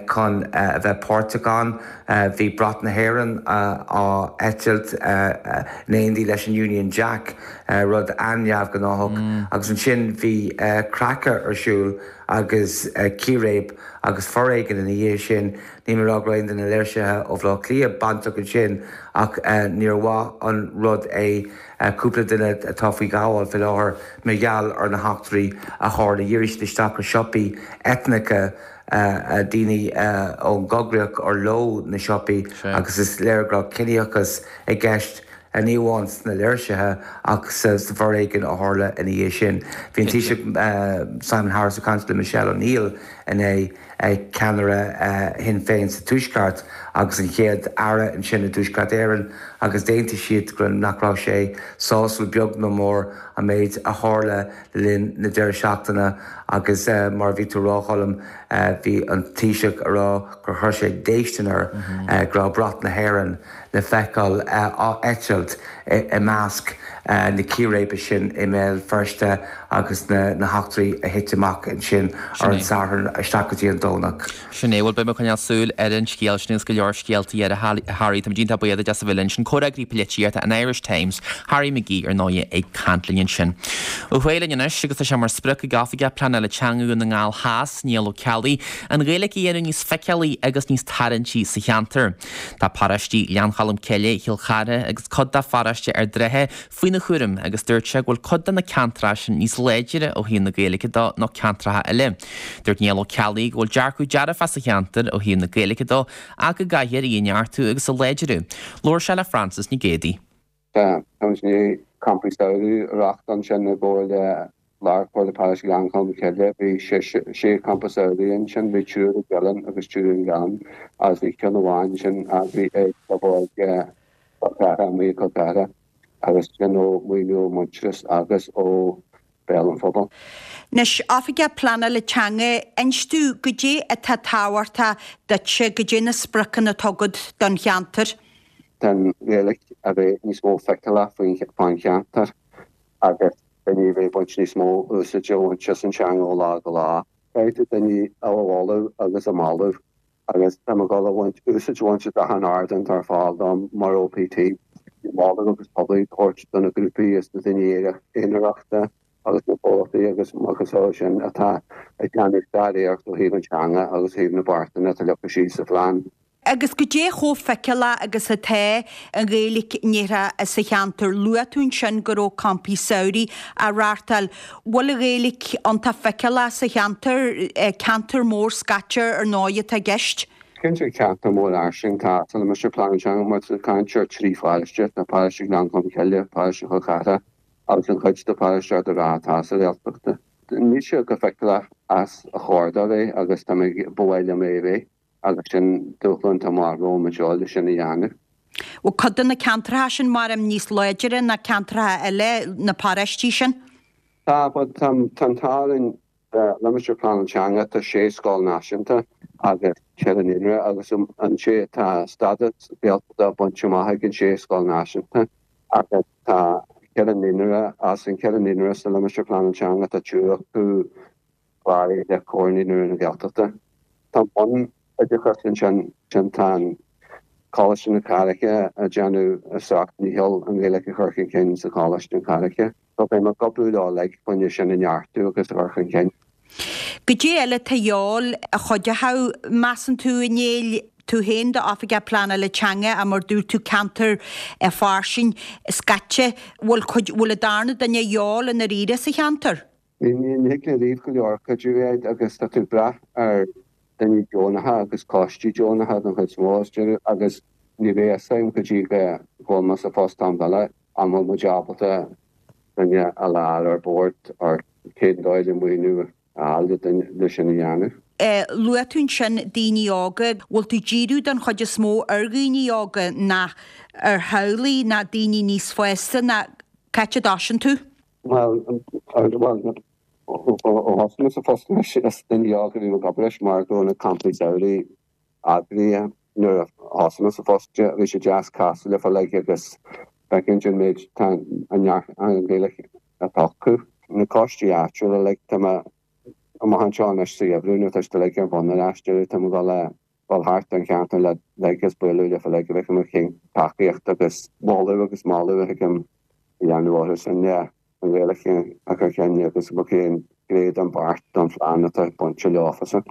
chun a bheith páirteach ann. Bhí brat na hÉireann á eitilt in éindí leis an Union Jack, rud an-neamhghnáthach. Agus ansin bhí creachadh ar siúl agus círéib agus foréigean ina dhiaidh sin. Níl mé ag rá go raibh aon duine de na léirsithe ó Bhaile Átha Cliath bainteach ansin ach níor mhaith an rud é cúpla duine atá faoi ghabháil faoi láthair mar gheall ar na heachtraí a tharla. Dhírigh siad isteach ar siopaí eitneacha, daoine ón gcoigríoch ar leo na siopaí agus is léir go raibh ciníochas i gceist. ní amháin sna léirsithe ach sa bhforéigean a tharla ina dhiaidh sin. Bhí an Taoiseach Simon Harris ag caint le Michelle O'Neill inné, ceannaire Shinn Féin sa Tuaisceart agus an chéad Aire ansin i dTuaisceart Éireann agus d'aontaigh siad go nach raibh sé sásúil beag ná mór an méid a tharla le linn na deireadh seachtaine agus mar a bhí tú a rá a Choilm bhí an Taoiseach a rá gur chuir sé déistin air go raibh brat na hÉireann le feiceáil á eitilt i measc na círéibe sin i mBéal Feirste agus na heachtraí a thit amach ansin ar an Satharn isteach go dtí an Domhnach. Sin é, bhuel beidh mé ag coinneáil súil ar an scéal sin agus go leor scéaltaí eile a Harry. Táimid iontach buíoch duit as a bheith linn. Sin comhfhreagraí polaitíochta an Irish Times, Harry McGee ar ndóigh ag caint linn ansin. Ó thuaidh linn anois agus tá sé mar sprioc ag Oifigeach Pleanála Teanga Dhún na nGall Theas, Niall Ó Ceallaigh, an Ghaeilge a dhéanamh níos feiceálaí agus níos tarraingtí sa cheantar. Tá paróistí Ghleann Cholm Cille, Chill Chartha agus cuid de pharóiste Ard Rátha faoina chúram agus dúirt sé go bhfuil cuid de na ceantracha sin níos láidre ó thaobh na Gaeilge de ná ceantracha eile. Dúirt Niall Ó Ceallaigh go bhfuil dearcadh dearfach sa cheantar ó thaobh na Gaeilge de ach go gcaithfear í a neartú agus a láidriú. Labhair sé le Frances Nic Géadaigh. Tá muid i ndiaidh campaí samhraidh a reáchtáil ansin i gcomhar le Lár Chomhairle Paróiste Ghleann Cholm Cille. Bhí sé champa samhraidh ansin, bhí triúr i gCuilinn agus triúr i nGleann agus bhí ceann amháin ansin eagraithe ag Club Óige Chill Chartha, amuigh i gCill Chartha agus sin ó mhaoiniú ó Muintearas agus ó Béal an Phobail. Anois, Oifigeach Pleanála Teanga, inis domh goidé atá tábhachtach duitse, goidé na spriocanna atá agat don cheantar? Tá an Ghaeilge a bheith níos mó feiceálach fán cheantar agus daoine a bheith ag baint níos mó úsáide a bhaint as an teanga ó lá go lá. Caithfidh tú daoine a mholadh agus a mhealladh agus tá mé ag dul a bhaint úsáid a bhaint as achan ardán atá ar fáil dom mar OPT, moladh agus poiblí a thabhairt do na grúpaí is na daoine aonarachta agus na comhlachtaí agus macasamhail sin atá ag déanamh staidiúireacht ó thaobh an teanga agus thaobh na beartanna atá leagtha síos sa phlean. Agus goidé chomh feiceálach agus atá an Ghaeilge ndéarfá sa cheantar? Luaigh tú ansin go raibh campaí samhraidh á reáchtáil. Bhfuil an Ghaeilge iontach feiceálach sa cheantar? Ceantar mór scaite ar ndóigh atá i gceist. Cinnte ceantar mór fhairsing tá sa limistéar pleanála teanga mar tá caint ar trí pharóiste, tá paróiste Ghleann Cholm Cille, paróiste Chol Cartha agus an chuid de paróiste Ard an Rátha atá sa Ghaeltacht. Níl sé chomh feiceálach as a chóir dó bheith agus tá mé ba mhaith liom é a bheith agus sin dúshlán atá amach romham anseo le sin a dhéanamh. Bhfuil cuid de na ceantracha sin mar níos láidre ná ceantracha eile, na paróistí sin? Tá, but tá an t-ádh linn limistéar pleanála teanga tá sé scoil náisiúnta agus ceithre naíonra agus an sé tá stádas Gaeltachta bainte amach ag an sé scoil náisiúnta agus tá ceithre naíonra as an ceithre naíonra sa limistéar pleanála teanga tá triúr acu cláraithe le Comhar Naíonraí na Gaeltachta. Tá bunoideachas ansin sin tá an Coláiste na Carraice ag déanamh a seacht ndícheall an Ghaeilge a chur chun cinn sa Choláiste na Carraice. So beidh mé ag obair leo uilig chun sin a neartú agus a chur chun cinn. Goidé eile atá de dhíobháil a chuideochadh, measann tú, a Néill, tú féin d'oifigeach pleanála teanga a mar dúirt tú ceantar fairsing scaite, bhfuil cuid, bhfuil an darna duine de dhíobháil i ndáiríre sa cheantar? Ní thig le riamh go leor cuidiú agat agus tá tú ag brath ar daoine deonacha agus coistí deonacha don chuid is mó is deireadh agus ní bheidh a fhios agam go dtí go bhfuil mé sa phost am eile an bhfuil muid ábalta duine a fháil ar bord or cén dóigh le maoiniú a fháil le duine le sin a dhéanamh. Luaigh tú ansin daoine óga, bhfuil tú ag díriú don chuid is mó ar dhaoine óga ná ar theaghlaigh ná daoine níos fásta ná cá háit a dtosaíonn tú? Bhuel, bhuel, ó thosaigh mé sa phost anois is daoine óga a bhí ag obair leis mar go raibh na campaí samhraidh eagraithe nuair a thosaigh mé sa phost. Bhí sé deas casadh leofa uilig agus feicint an méid tá an neart an Ghaeilge atá acu. Na coistí áitiúla uilig, tá mé amach anseo anois sa gheimhreadh nuair atá siad uilig ar bun ar ais, tá mé ag dul a dhul thart an cheantar le uilig agus bualadh leofa uilig go bhfeicfidh mé cén tacaíocht agus moladh agus moladh a thig liom a dhéanamh orthu sin le an Ghaeilge a chur chun agus cén gné den bheart don phlean atá bainte leofa.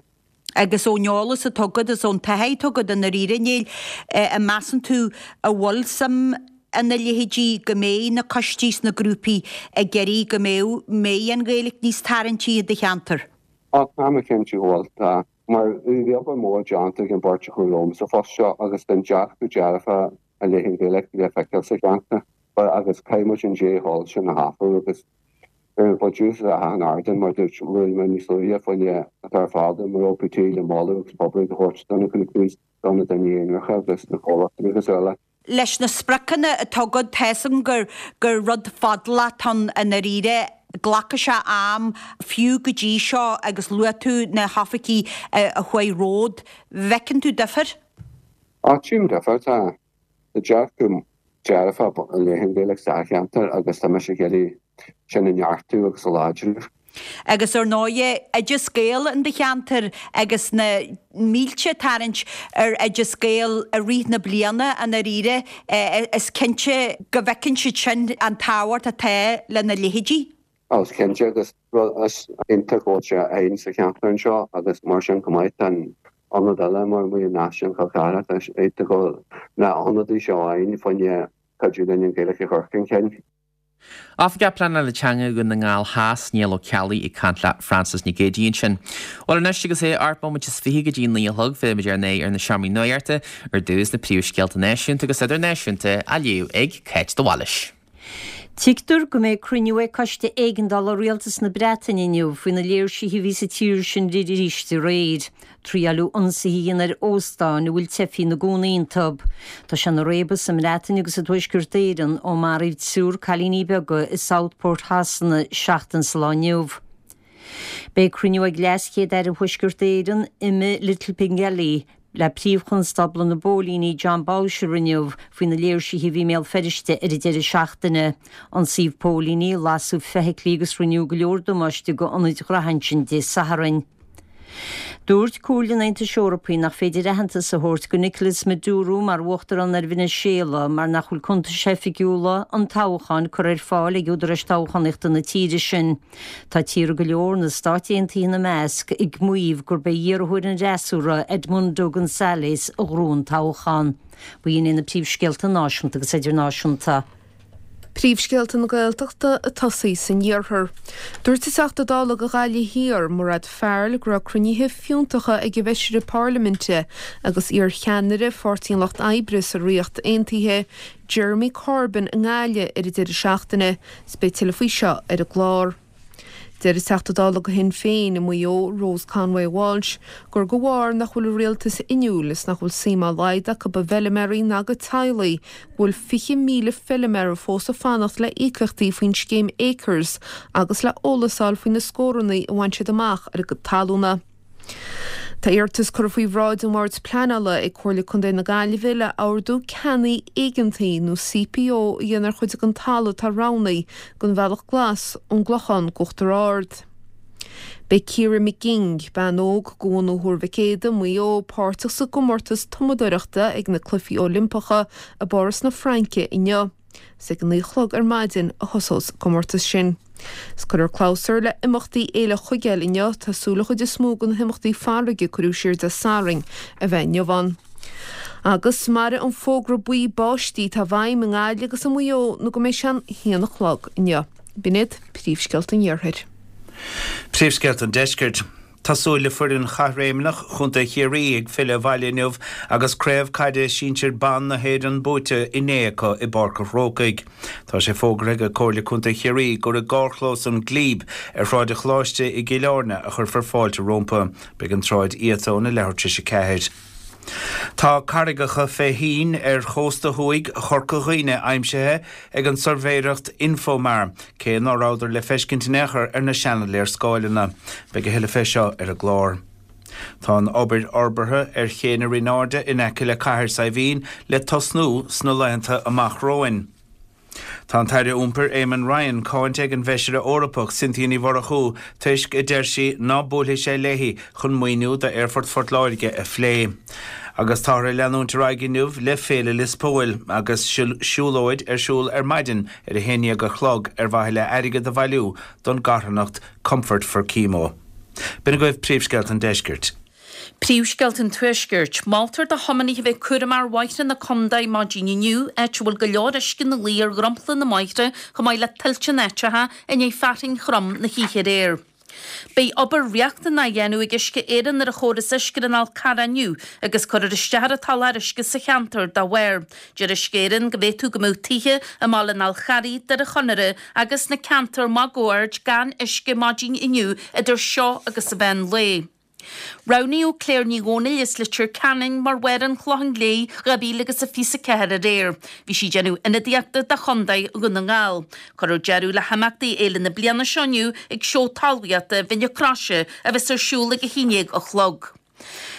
Agus ón eolas atá agat is ón taithí atá agat i ndáiríre, Néill, an measann tú a bhfuil suim ina leithéidí go mbeidh na coistí is na grúpaí ag iarraidh go mbeadh mbeidh an Ghaeilge níos tarraingtí i do cheantar? Á, tá mé cinnte go bhfuil, tá. Mar bhí obair mhór déanta ag an bpáirtí a chuaigh romham sa phost seo agus tá an dearcadh dearfa i leith an Ghaeilge le feiceáil sa cheantar. Agus caithfidh muid an dea-thoil sin a thapú agus beidh mé buíoch as achan ardán mar dúirt luaigh mé níos luaithe faoin atá ar fáil dom mar OPT le moladh agus poiblíocht a thabhairt do na grúpaí, do na daoine aonaracha agus na comhlachtaí agus eile. Leis na spriocanna atá agat, tá 'fhios agam gur gur rud fadálach atá ann i ndáiríre, glacfaidh sé am fiú go dtí seo agus luaigh tú na hoifigigh a chuaigh romhat, bhfeiceann tú difear? Á, tchím difear, tá. Tá dearcadh dearfach i leith an Ghaeilge sa cheantar agus tá mise ag iarraidh sin a neartú agus a láidriú. Agus ar ndóighe, Oideas Gael in do cheantar agus na mílte ag tarraingt ar Oideas Gael i rith na bliana i ndáiríre, is cinnte go bhfeiceann siad sin an tábhacht atá lena leithéidí. Ó, is cinnte agus rud is iontach go bhfuil sé againn sa cheantar anseo agus mar sin chomh maith tá an ionad eile mar Muileann Náisiúnta Chol Cartha, tá sé iontach go bhfuil na hionadaí seo againn fá choinne cuidiú linn an Ghaeilge a chur chun cinn. Oifigeach Pleanála Teanga Dhún na nGall Theas, Niall Ó Ceallaigh ag caint le Frances Nic Géadaigh ansin. Bhuel anois agus é ocht mbomaite is fiche go dtí naoi a chlog, fillfimid ar n-aghaidh ar na seomraí nuachta ar dtús na príomhscéalta náisiúnta agus idirnáisiúnta á léamh ag Cáit de Bhailís. Tuigtear go mbeidh cruinniú ag Coiste Éigeandála Rialtas na Breataine inniu faoi na léirsithe a bhí sa tír sin arís aréir. Triaileadh ionsaithe a dhéanamh ar óstáin a bhfuil teifigh ina gcónaí iontu. Tá sé ina réabadh sa mBreatain agus i dTuaisceart Éireann ó maraíodh triúr cailíní beaga i Southport Shasana seachtain sa lá inniu. Beidh cruinniú ag Leas-Chéad-Aire Thuaisceart Éireann, Emma Little-Pengelly, le Príomh-Chonstábla na bPóilíní Jon Boutcher inniu faoi na léirsithe a bhí i mBéal Feirste ar an deireadh seachtaine. Ionsaíodh póilíní, lasadh feithiclí agus rinneadh go leor damáiste go ionaid ghraithe ansin Dé Sathairn. Dúirt Comhairle an Aontais Eorpaigh nach féidir aitheantas a thabhairt go Nicolas Maduro mar uachtarán ar Venezuela mar nach bhfuil cuntais oifigiúla an toghcháin curtha ar fáil ag údaráis toghchánaíochta na tíre sin. Tá tíortha go leor, na Stáit Aontaithe ina measc, ag maíomh gurb é iarrthóir an fhreasúra, Edmundo González, a ghnóthaigh an toghchán. B'in iad na príomhscéalta náisiúnta agus idirnáisiúnta. Príomhscéalta na Gaeltachta ag tosaí san iarthar. Dúirt an Teachta Dála do Ghaillimh Thiar, Mairéad Farrell, go raibh cruinnithe fiúntacha ag an bhFeisire Parlaiminte agus iarcheannaire Pháirtí an Lucht Oibre sa Ríocht Aontaithe, Jeremy Corbyn i nGaillimh ar an deireadh seachtaine. 'S beidh tuilleadh faoi seo ar an gclár. Deir an Teachta Dála do Shinn Féin i Maigh Eo, Rose Conway Walsh, gur de bharr nach bhfuil an rialtas inniúil is nach bhfuil suim dá laghad acu i bhfeilméaraí ná a gcuid teaghlaigh go bhfuil fiche míle feilméara fós ag fanacht le íocaíochtaí faoin scéim Acres agus le eolas a fháil faoi na scóranna a bhain siad amach ar a gcuid talúna. Tá iarratas curtha faoi bhráid an Bhoird Pleanála ag Comhairle Contae na Gaillimhe le Ordú Ceannaigh Éigeantaigh nó CPO a dhéanamh ar chuid den talamh atá roghnaithe don Bhealach Glas ón gClochán go Uachtar Ard. Beidh Ciara McGing, bean óg de bhunadh Thuar Mhic Éadaigh, Maigh Eo, páirteach sa gcomórtas tumadóireachta ag na Cluichí Oilimpeacha i bPáras na Fraince inniu. Is ag a naoi a chlog ar maidin a thosós an comórtas sin. 'S cuirfear clabhsúr le imeachtaí Fhéile Chuigéil inniu, tá súil an chuid is mó de na himeachtaí farraige a cuireadh siar Dé Sathairn a bheith inniu ann. Agus mairfidh an fógra buí báistí atá i bhfeidhm i nGaillimh agus i Maigh Eo nó go mbeidh sé an haon a chlog inniu. B'in iad príomhscéalta an Iarthair. Príomhscéalta an Deiscirt. Tá súil le foireann chaithréimeach Chontae Chiarraí ag filleadh abhaile inniu agus craobh caide sinsir ban na hÉireann buaite inné acu i bPáirc an Chrócaigh. Tá sé fógartha ag Comhairle Contae Chiarraí gur i gcarrchlós an Glebe ar Shráid an Choláiste i gCill Airne a chuirfear fáilte rompu. Beidh an tsráid iata óna leathuair tar éis a ceathair. Tá carraigeacha fé thoinn ar chósta thuaidh Chorca Dhuibhne aimsithe ag an tsuirbhéireacht Infomar, cé ná rabhadar le feiscint in aon chor ar na seana-léarscáileanna. Beidh a thuilleadh fé seo ar an gclár. Tá an obair fhorbartha ar Ché na Rinne Airde in aice le Cathair Saidhbhín le tosnú sna laethanta amach romhainn. Tá an tAire Iompair Eamon Ryan cáinte ag an bhFeisire Eorpach Cynthia Ní Mhurchú toisc, a deir sí, ná buailfidh sé léi chun maoiniú d'Aerfort Phort Láirge a phlé. Agus táthar ag leanúint ar aghaidh inniu le Féile Lios Póil agus siúlóid ar siúl ar maidin ar a haon déag a chlog ar mhaithe le airgead a bhailiú don gcarthanacht Comfort for Chemo. B'in agaibh príomhscéalta an deiscirt. Príomhscéalta an Tuaiscirt. Moltar do thiománaithe a bheith cúramach ar bhóithre na contae maidin inniu, áit a bhfuil go leor uisce ina luí ar dhromchla na mbóithre chomh maith le tuilte in áiteacha i ndiaidh fearthainn throm na hoíche aréir. Beidh obair riachtanach á dhéanamh ag Uisce Éireann ar an chóras uisce ar an Fhál Carrach inniu agus cuirfear isteach ar an tsoláthar uisce sa cheantar dá bharr. Deir Uisce Éireann go bhféadfadh go mbeadh tithe i mBaile an Fháil Charraigh, Doire Chonaire agus sna ceantair máguaird gan uisce maidin inniu idir seo agus an mheán lae. Roghnaíodh Claire Ní Dhomhnaill as Leitir Ceanainn mar Mháire an Chlocháin Léith dhá mhíle agus a fiche a ceathair aréir. Bhí sí ag déanamh ionadaíochta do Chontae Dhún na nGall. Cuirfear deireadh le himeachtaí fhéile na bliana seo inniu ag Seó Talmhaíochta Bhinn na Croise a bheas ar siúl ag a haon déag a chlog.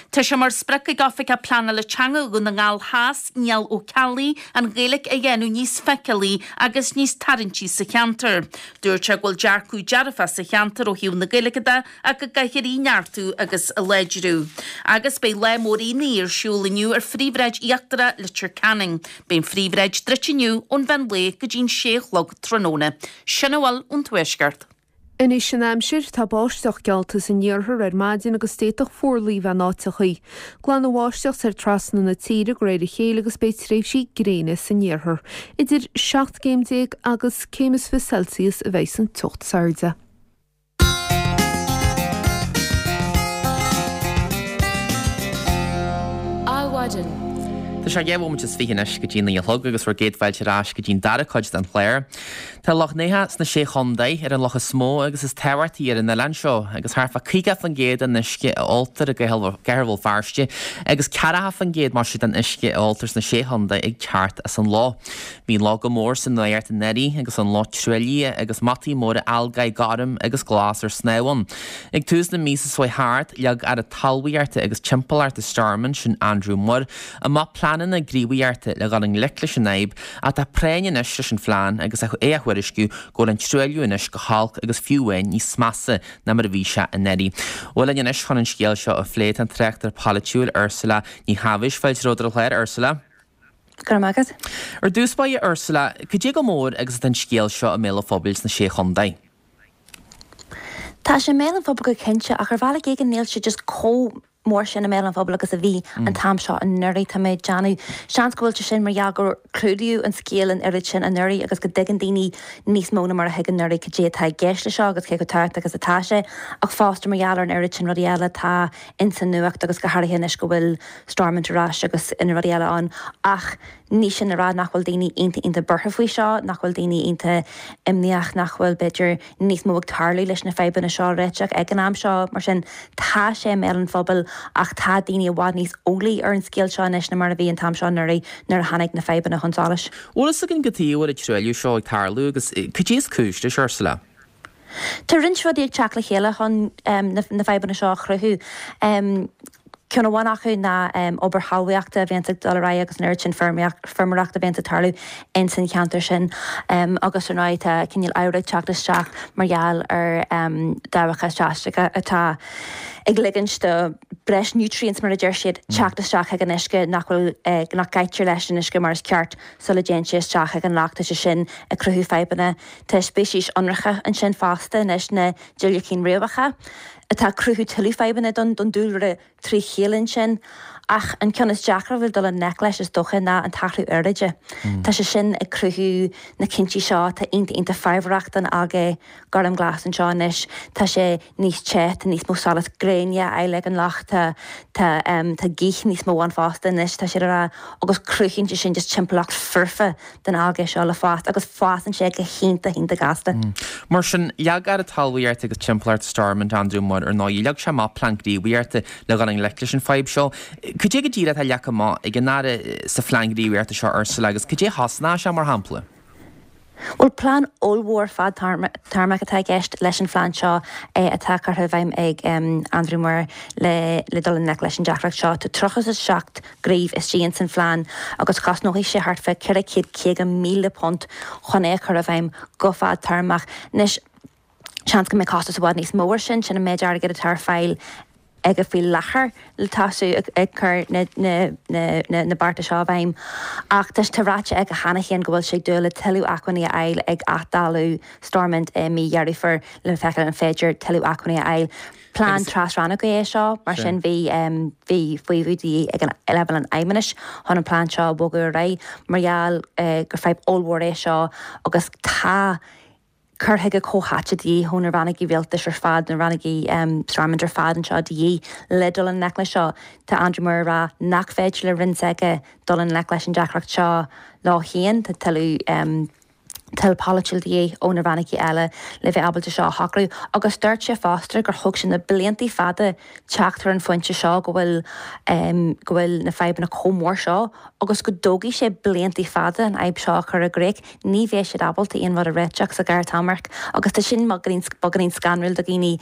Tá sé mar sprioc ag Oifigeach Pleanála Teanga Dhún na nGall Theas, Niall Ó Ceallaigh, an Ghaeilge a dhéanamh níos feiceálaí agus níos tarraingtí sa cheantar. Dúirt sé go bhfuil dearcadh dearfach sa cheantar ó thaobh na Gaeilge de ach go gcaithfear í a neartú agus a láidriú. Agus beidh lá mór aonaigh ar siúl inniu ar Phríomhshráid Íochtarach Leitir Ceanainn. Beidh an phríomhshráid druidte inniu ón mheán lae go dtí'n sé a chlog tráthnóna. Sin a bhfuil ón Tuaisceart. Anois an aimsir, tá báisteach geallta san iarthar ar maidin agus d'fhéadfadh fuarlaigh bheith in áiteachaí. Glanfaidh an bháisteach soir trasna na tíre de réir a chéile agus beidh tréimhsí gréine san iarthar. Idir seacht gcéim déag agus céim is fiche Celsius a bheidh san teocht is airde. Adhmhaidin. Tá sé dhá bhomaite is fiche anois go dtí naoi a chlog agus bhur gcéad fáilte ar ais go dtí'n dara cuid den chlár. Tá Loch Neathach sna Sé Chontae ar an loch is mó agus is tábhachtaí ar an oileán seo agus thart fá caoga faoin gcéad den uisce a óltar i gCathair Bhéal Feirste agus ceathracha faoin gcéad mar sin den uisce a óltar sna Sé Chontae ag teacht as an loch. Bhí an loch go mór sa nuacht anuraidh agus an loch truaillithe agus mataí móra algae gorm agus glas ar snámh ann. Ag tús na míosa seo thart, leag Aire Talmhaíochta agus Timpeallachta Stormont, sin Andrew Muir, amach plean pleananna gníomhaíochta le dhul i ngleic leis an fhadhb ach tá práinn anois leis an phlean agus é á thuairisciú go bhfuil an truailliú anois go holc agus fiú amháin níos measa ná mar a bhí sé anuraidh. Bhuel linn anois chun an scéal seo a phlé tá an tráchtaire polaitiúil Ursula Ní Thaibhis. Fáilte romhat ar an chlár, Ursula. Go raibh maith agat. Ar dtús báire Ursula, cad é chomh mór agus atá an scéal seo i mbéal an phobail sna Sé Chontae? Tá sé i mbéal an phobail go cinnte, ach ar bhealach éigin níl sé just chomh mór sin i mbéal an phobail agus a bhí an t-am seo anuraidh. Tá mé ag déanamh. Seans go bhfuil sé sin mar gheall gur clúdaíodh an scéal an oiread sin anuraidh agus go dtuigeann daoine níos mó ná mar a thuig anuraidh cad é atá i gceist le seo agus cé chomh tábhachtach agus atá sé. Ach fosta mar gheall ar an oiread sin rudaí eile atá ins an nuacht agus go háirithe anois go bhfuil Stormont ar ais agus na rudaí eile ann. Ach ní sin le rá nach bhfuil daoine iontach iontach buartha faoi seo, nach bhfuil daoine iontach imníoch, nach bhfuil b'fhéidir níos mó ag tarlú leis na fadhbanna seo a réiteach ag an am seo. Mar sin, tá sé i mbéal an phobail ach tá daoine i bhfad níos eolaí ar an scéal seo anois ná mar a bhí an t-am seo anuraidh nuair a tháinig na fadhbanna chun solais. Bhfuil fhios againn cad chuige a bhfuil an truailliú seo ag tarlú agus cad é is cúis leis, Ursula? Tá roinnt rudaí ag teacht le chéile chun na fadhbanna seo a chruthú. Ceann amháin acu ná obair thalmhaíochta a bhíonns ag dul ar aghaidh agus an oiread sin feirmeoireachta a bhíonns ag tarlú ins an cheantar sin. Agus ar ndóigh tá cineál oighir ag teacht isteach mar gheall ar dabhacha seachtracha atá ag ligint do breis nutrients mar a deir siad teacht isteach chuig an uisce nach bhfuil nach gcaitear leis an uisce mar is ceart sula dtéann sé isteach chuig an loch. Tá sé sin ag cruthú fadhbanna. Tá speicis ionracha ansin fosta anois, na diúilicín riabhacha, atá ag cruthú tuilleadh fadhbanna don don dúlra trí chéile ansin. Ach an ceann is deacra a bhfuil dul i ngleic leis is dócha ná an t-athrú aeráide. Tá sé sin ag cruthú na cinntí seo atá iontach iontach fabhrach don algae gormghlas anseo anois. Tá sé níos te, tá níos mó solas gréine á fháil ag an loch, tá tá tá gaoth níos mó ann fosta anois, tá siad ag rá, agus cruthaíonn sé sin just timpeallacht foirfe don algae seo le fás agus fásann sé go hiontach iontach gasta. Mar sin, leag Aire Talmhaíochta agus Timpeallachta Stormont, Andrew Muir, ar ndóigh, leag sé amach plean gníomhaíochta le dhul i ngleic leis an fadhb seo. Cad é go díreach atá leagtha amach ag an Aire sa phlean gníomhaíochta seo, Ursula, agus cad é a chosnóidh sé, mar shampla? Bhuel, plean ollmhór fadtéarmach atá i gceist leis an phlean seo atá curtha i bhfeidhm ag Andrew Muir le le dul i ngleic leis an deacracht seo. Tá tríocha is a seacht gníomh istigh ins an phlean agus cosnóidh sé thart fá ceithre chéad caoga míle punt chun é a chur i bhfeidhm go fadtéarmach. Anois, seans go mbeidh costas i bhfad níos mó air sin, sin an méid airgid atá ar fáil aige faoi láthair le tosú ag cur na bearta seo i bhfeidhm. Ach tá tá ráite aige cheana féin go bhfuil sé ag dúil le tuilleadh acmhainní a fháil ag athdháileadh Stormont i mí Dheireadh Fómhair le feiceáil an féidir tuilleadh acmhainní a fháil. Plean tras-rannógach é seo, mar sin bhí bhí faomhadh de dhíth ag an leibhéal an Fheidhmeannais chun an plean seo a bhogadh ar aghaidh mar gheall gur fadhb ollmhór é seo agus tá cur chuige comhtháite de dhíth ó na rannógaí rialtais ar fad, na rannógaí Stormont ar fad anseo de dhíth le dul i ngleic leis seo. Tá Andrew Muir ag rá nach féidir le roinn s'aige dul i ngleic leis an deacracht seo leo féin, tá tuilleadh toil pholaitiúil de dhíth ó na rannógaí eile le bheith ábalta seo a shocrú. Agus dúirt sé fosta gur thóg sé na blianta fada teacht ar an phointe seo go bhfuil go bhfuil na fadhbanna chomh mór seo agus go dtógfaidh sé blianta fada an fhadhb seo a chur i gcrích, ní bheidh siad ábalta aon rud a réiteach sa ghearrthéarma agus tá sin beagáinín scanrúil do dhaoine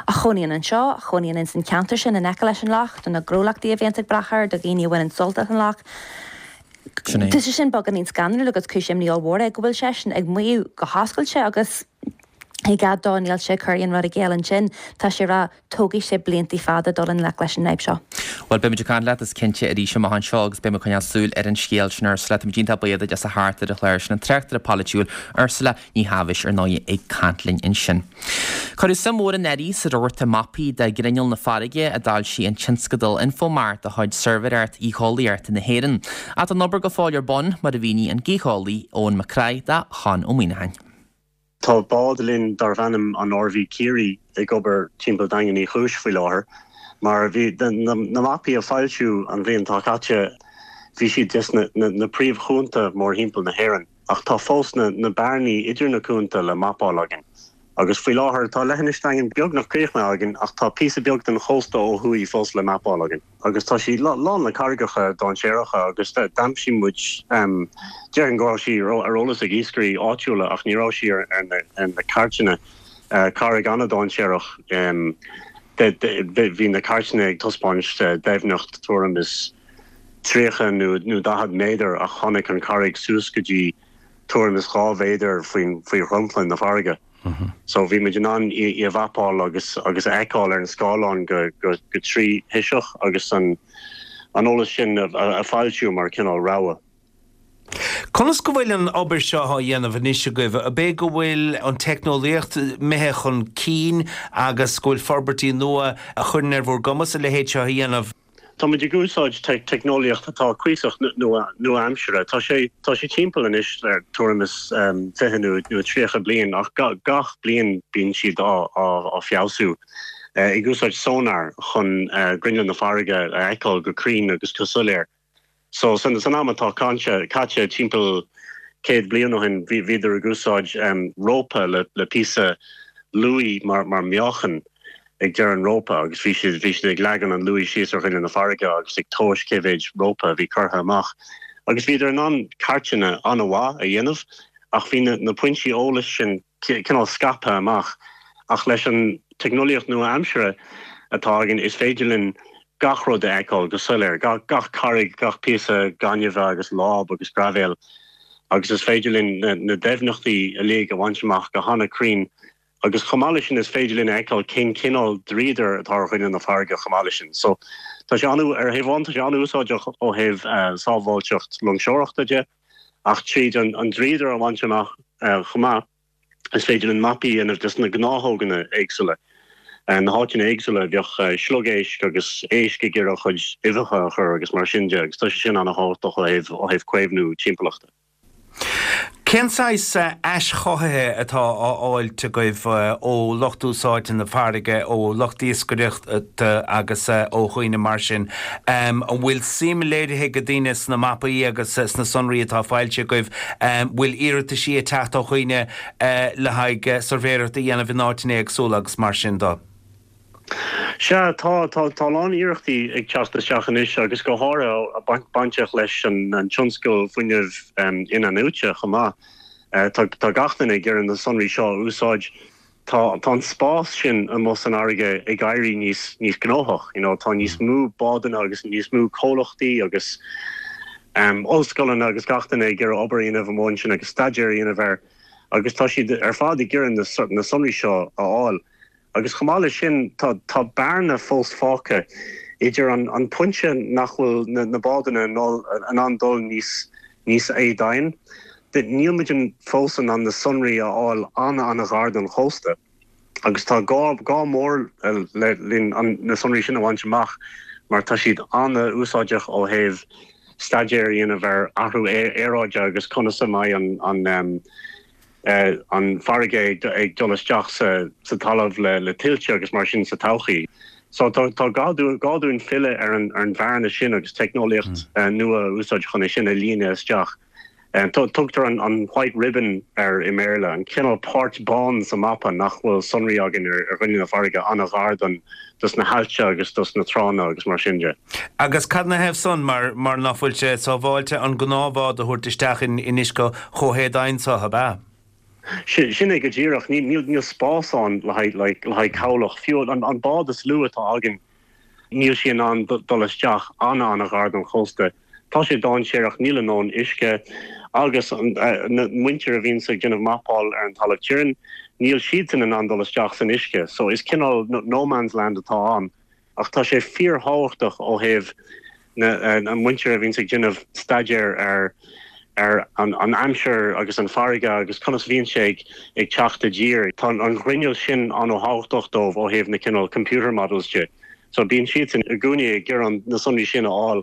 a chónaíonn anseo, a chónaíonn ins an cheantar sin in aice leis an loch, do na gnólachtaí a bhíonns ag brath air, do dhaoine a bhaineann sult as an loch. Tá sé sin beagáinín scanrúil agus cúis imní ollmhór é go bhfuil seisean ag maíomh go hoscailte agus i gcead dó níl sé ag cur aon rud i gcéill ansin, tá sé ag rá tógfaidh sé blianta fada dul i ngleic leis an fhadhb seo. Bhuel, beimid ag caint leat is cinnte arís amach anseo agus beimid ag coinneáil súil ar an scéal sin Ursula. Táimid iontach buíoch duit as a theacht ar an chlár sin an tráchtaire polaitiúil Ursula Ní Thaibhis ar ndóigh ag caint linn ansin. Cuireadh suim mhór anuraidh sa rabharta mapaí de ghrinneall na farraige a d'fhoilsigh an tionscadal Infomar de chuid Suirbhéireacht Gheolaíochta na hÉireann. Ach tá an obair go fóill ar bun, mar a mhínigh an gaotheolaí Eoin Mac Craith do Chonn Ó Muíneacháin. Tá bád linn darbh ainm an R V Ciarraí ag obair timpeall Daingean Uí Chúis faoi láthair. Mar bhí na mapaí a foilsíodh an bhliain atá caite, bhí siad des na príomhchuanta mórthimpeall na hÉireann, ach tá fós na bearnaí idir na cuanta le mapáil againn. Agus faoi láthair tá leithinis Daingean beagnach críochnaithe againn ach tá píosa beag den chósta ó thuaidh fós le mapáil againn. Agus tá sí lán le carraigeacha dainséaracha agus d'aimsigh muid, déarfainn go raibh sí ar eolas ag iascairí áitiúla ach ní raibh sí ar na cairteanna, carraig an-dainséarach. Bhí na cairteanna ag taispeáint doimhneacht tuairim is tríocha nó nó daichead méadar ach tháinig an charraig suas go dtí tuairim is dhá mhéadar faoin faoi dhromchla na farraige. So bhí muid in ann í í a mhapáil agus agus a fheiceáil ar an scáileán go go go tríthoiseach agus an an eolas sin a a foilsiú mar cineál rabhadh. Conas go bhfuil an obair seo á dhéanamh anois agaibh? Ab é go bhfuil an teicneolaíocht imithe chun cinn agus go bhfuil forbairtí nua a chuireann ar bhur gcumas a leithéid seo a dhéanamh? Tá muid ag úsáid teicneolaíocht atá cuíosach nua-aimseartha. Tá sé tá sé timpeall anois ar tuairim is fiche nó nó tríocha bliain ach gach bliain bíonn siad á á feabhsú. Ag úsáid sonar chun grinneall na farraige a fheiceáil go cruinn agus go soiléir. So san san am atá cainte caite timpeall céad bliain ó shin bhí bhíodar ag úsáid rópa le le píosa luaí mar mar meáchan ag deireadh an rópa agus bhí siad bhí siad ag leagan an luaí síos ar ghrinneall na farraige agus ag tomhas cé mhéid rópa a bhí curtha amach. Agus bhíodar in ann cairteanna an-mhaith a dhéanamh ach bhí na na pointí eolais sin cineál scaipthe amach ach leis an teicneolaíocht nua-aimseartha atá againn is féidir linn gach rud a fheiceáil go soiléir, gach carraig, gach píosa gainimhe agus láib agus graibhéil, agus is féidir linn na doimhneachtaí uilig a bhaint amach go han-chruinn agus chomh maith leis sin is féidir linn a fheiceáil cén cineál dríodair atá ar ghrinneall na farraige chomh maith leis sin. So tá sé an, ar thaobh amháin tá sé an-úsáideach ó thaobh sábháilteacht loingseoireachta de ach tríd an dríodar a bhaint amach chomh maith, Is féidir linn mapaí a dhéanamh des na gnáthóganna éagsúla, na háiteanna éagsúla a bheadh sliogéisc agus éisc ag iarraidh a chuid uibheacha a chur agus mar sin de agus tá sé sin an-thábhachtach ó thaobh ó thaobh caomhnú timpeallachta. Cén saghas aischothaithe atá á fháilt agaibh ó lucht úsáidte na farraige, ó lucht iascaireachta agus ó dhaoine mar sin? An bhfuil suim léirithe ag daoine sna mapaí agus sna sonraí atá foilsithe agaibh? An bhfuil iarrataisí ag teacht ó dhaoine le haghaidh suirbhéireacht a dhéanamh in áiteanna éagsúla agus mar sin de? Sea, tá, tá, tá a lán iarrachtaí ag teacht isteach anois agus go háirithe bainteach leis an tionscal fuinnimh in-athnuaite chomh maith. Tá, tá gach duine ag iarraidh na sonraí seo a úsáid. Tá, tá an spás sin amuigh san fharraige ag éirí níos, níos gnóthach, you know, tá níos mó bádanna agus níos mó comhlachtaí agus ollscoileanna agus gach duine ag iarraidh obair a dhéanamh amuigh ansin agus staidéar a dhéanamh air agus tá siad ar fad ag iarraidh na sonraí seo a fháil. Agus chomh maith leis sin, tá tá bearna fós fágtha idir an an pointe nach bhfuil na na bádanna in ann dul níos níos éadomhain. Níl muid fós in ann na sonraí a fháil an-an-ghar don chósta. Agus tá gá gá mór le linn an na sonraí sin a bhaint amach mar tá siad an-úsáideach ó thaobh staidéar a dhéanamh ar athrú aeráide agus conas a mbeidh an an an farraige ag dul isteach sa talamh le tuilte agus mar sin sa todhchaí. So tá gá dúinn filleadh ar an bhearna sin agus teicneolaíocht nua a úsáid chun é sin a líonadh isteach. Tugtar an white ribbon air i mBéarla, an cineál páirt bán sa mapa nach bhfuil sonraí againn ar ghrinneall na farraige an-ghar don dos na haillte agus dos na tránna agus mar sin de. Agus cad 'na thaobh san, mar mar ná fuil sé sábháilte an gnáthbhád a thabhairt isteach in in uisce chomh héadomhain so, ab ea? Sin é go díreach. Níl níl spás ann le haghaidh le haghaidh cabhlach. Fiú an an bád is lú atá againn, níl sí in ann dul isteach an-an-ghar don chósta. Tá sé dainséarach, níl a ndóthain uisce agus na muintir a bhíonns ag déanamh mapáil ar an talamh tirim, níl siadsan in ann dul isteach san uisce. So is cineál no man's land atá ann ach tá sé fíorthábhachtach ó thaobh na muintir a bhíonns ag déanamh staidéir ar ar an aimsir agus an farraige agus conas a bhíonn sé ag teacht i dtír. Tá an ghrinneall sin an-thábhachtach dóibh ó thaobh na cineál computer models de. So bíonn siadsan i gcónaí ag iarraidh na sonraí sin a fháil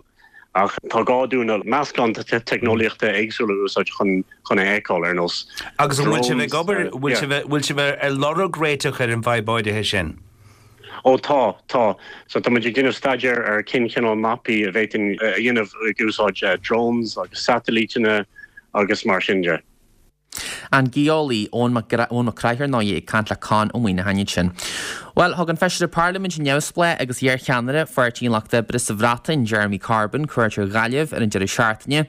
ach tá gá dúinn meascán de teicneolaíochta éagsúla a úsáid chun chun é a fheiceáil, ar nós Agus an bhfuil sibh ag obair, bhfuil sibh, bhfuil sibh ar lorg réiteach ar an bhfadhb áirithe sin? Ó tá, tá. So tá muid ag déanamh staidéar ar cén chineál mapaí a bhféadfainn a dhéanamh ag úsáid drones agus satailíteanna agus mar sin de. An geolaí Eoin Mac Craith ar ndóigh ag caint le Conn Ó Muíneacháin ansin. Bhuel, thug an Feisire Parlaiminte neamhspleách agus iarcheannaire Pháirtí an Lucht Oibre sa Bhreatain, Jeremy Corbyn, cuairt ar Ghaillimh ar an deireadh seachtaine.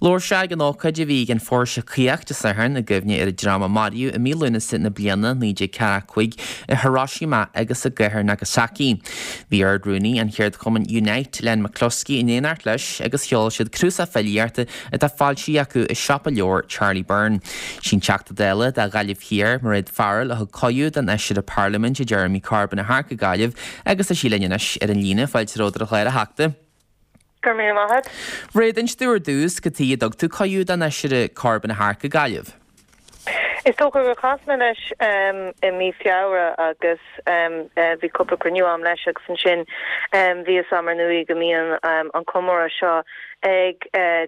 Labhair sé ag an ócáid a bhí ag an Phóirse Caoch Dé Sathairn i gcuimhne ar an dream a maraíodh i mí Lúnasa na bliana naoi déag ceathracha cúig i Hiroshima agus i gcathair Nagasaki. Bhí Ard-Rúnaí an cheardchumainn Unite, Len McCluskey, in éineacht leis agus sheol siad cnuasach filíochta atá foilsithe acu i siopa leabhar Charlie Byrne. Sí an Teachta Dála do Ghaillimh Thiar, Mairéad Farrell, a thug cuireadh don Fheisire Parlaiminte Jeremy Corbyn a theacht go Gaillimh agus tá sí linn anois ar an líne. Fáilte romhat ar an chlár, a Theachta. Go raibh míle maith agat. Mairéad, inis dúinn ar dtús cad chuige a dtug tú cuireadh don Fheisire Corbyn a theacht go Gaillimh. Is dócha gur chas mé leis i mí Feabhra agus bhí cúpla cruinniú a'm leis agus ansin bhí fhios a'm ar ndóigh go mbíonn an comóradh seo ag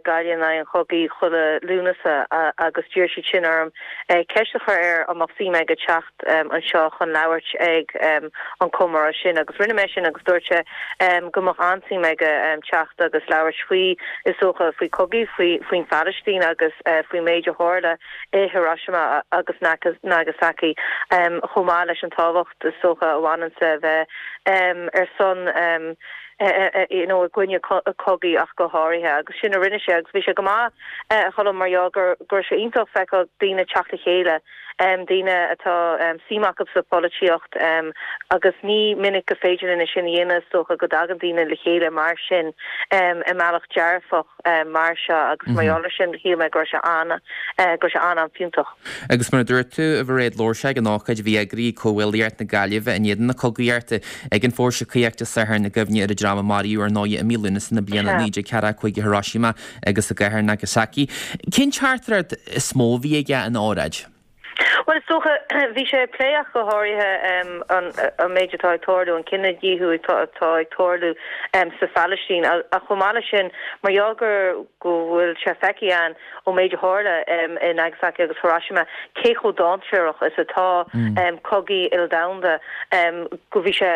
Gaillimh in aghaidh an Chogaidh chuile Lúnasa agus d'iarr siad sin orm ceist a chur air an mbeadh suim aige teacht anseo chun labhairt ag an comóradh sin agus rinne mé sin agus dúirt sé go mbeadh an-suim aige teacht agus labhairt faoi is dócha faoi cogaí, faoi faoin Phalaistín agus faoin méid a tharla i Hiroshima agus Nagasaki chomh maith leis an tábhacht is dócha a bhaineann le bheith ar son you know i gcoinne cogaí ach go háirithe agus sin a rinne sé agus bhí sé go maith a Cholm mar gheall gur go raibh sé iontach feiceáil daoine teacht le chéile daoine atá suim acu sa pholaitíocht agus ní minic go féidir linn é sin a dhéanamh is dócha go dtagann daoine le chéile mar sin i mbealach dearfach mar seo agus mar gheall ar sin shíl mé go raibh sé an go raibh sé an-an-fhiúntach. Agus mar a dúirt tú, a Mhairéad, labhair sé ag an ócáid a bhí eagraithe ag Comhghuaillíocht na Gaillimhe in éadan na cogaíochta ag an Phóirse Caoch Dé Sathairn i gcuimhne ar an dream a maraíodh ar ndóigh i mí Lúnasa na bliana naoi déag ceathracha cúig i Hiroshima agus i gcathair Nagasaki. Cén teachtaireacht is mó a bhí aige ina óráid? Bhuel, is dócha, bhí sé ag plé ach go háirithe an méid atá ag tarlú, an cinedhíothú atá ag tarlú sa Phalaistín ach chomh maith leis sin, mar gheall gur go bhfuil sé feicthe againn ón méid a tharla i Nagasaki agus Hiroshima cé chomh dainséarach is atá cogaí ildomhanda, go bhí sé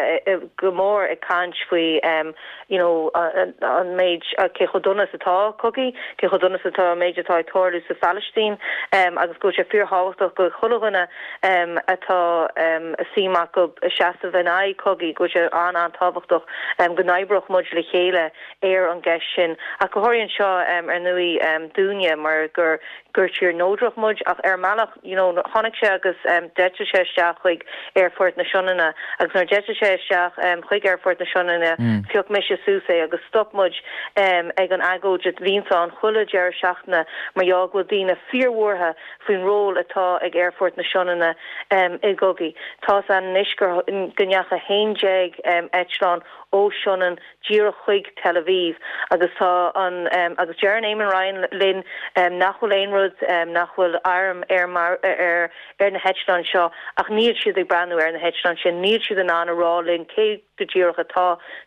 go mór ag caint faoi you know an méid, cé chomh dona is atá cogaí, cé chomh dona is atá an méid atá ag tarlú sa Phalaistín agus go bhfuil sé fíorthábhachtach go chuile dhuine atá suim acu seasamh in aghaidh cogaí, go bhfuil sé an-an-tábhachtach go n-oibreodh muid le chéile ar an gceist sin. Ach go háirithe anseo ar ndóigh dúinne mar gur gur tír neodrach muid ach ar mbealach you know tháinig sé agus d'eitil sé isteach chuig Aerfort na Sionainne agus nuair d'eitil sé isteach chuig Aerfort na Sionainne phioc mise suas é agus stop muid ag an agóid a bhíonns ann chuile deireadh seachtaine mar gheall go bhfuil daoine fíorbhuartha faoin ról atá ag Aerfort na Sionainne i gcogaí. Tá's againn anois go ndeachaigh a haon déag eitleán ó Sionainn díreach chuig Tel Aviv agus tá an agus deireann Eamon Ryan linn nach bhfuil aon rud nach bhfuil airm ar ar ar na heitleáin seo ach níl siad ag breathnú ar na heitleáin sin, níl siad in ann a rá linn cé go díreach atá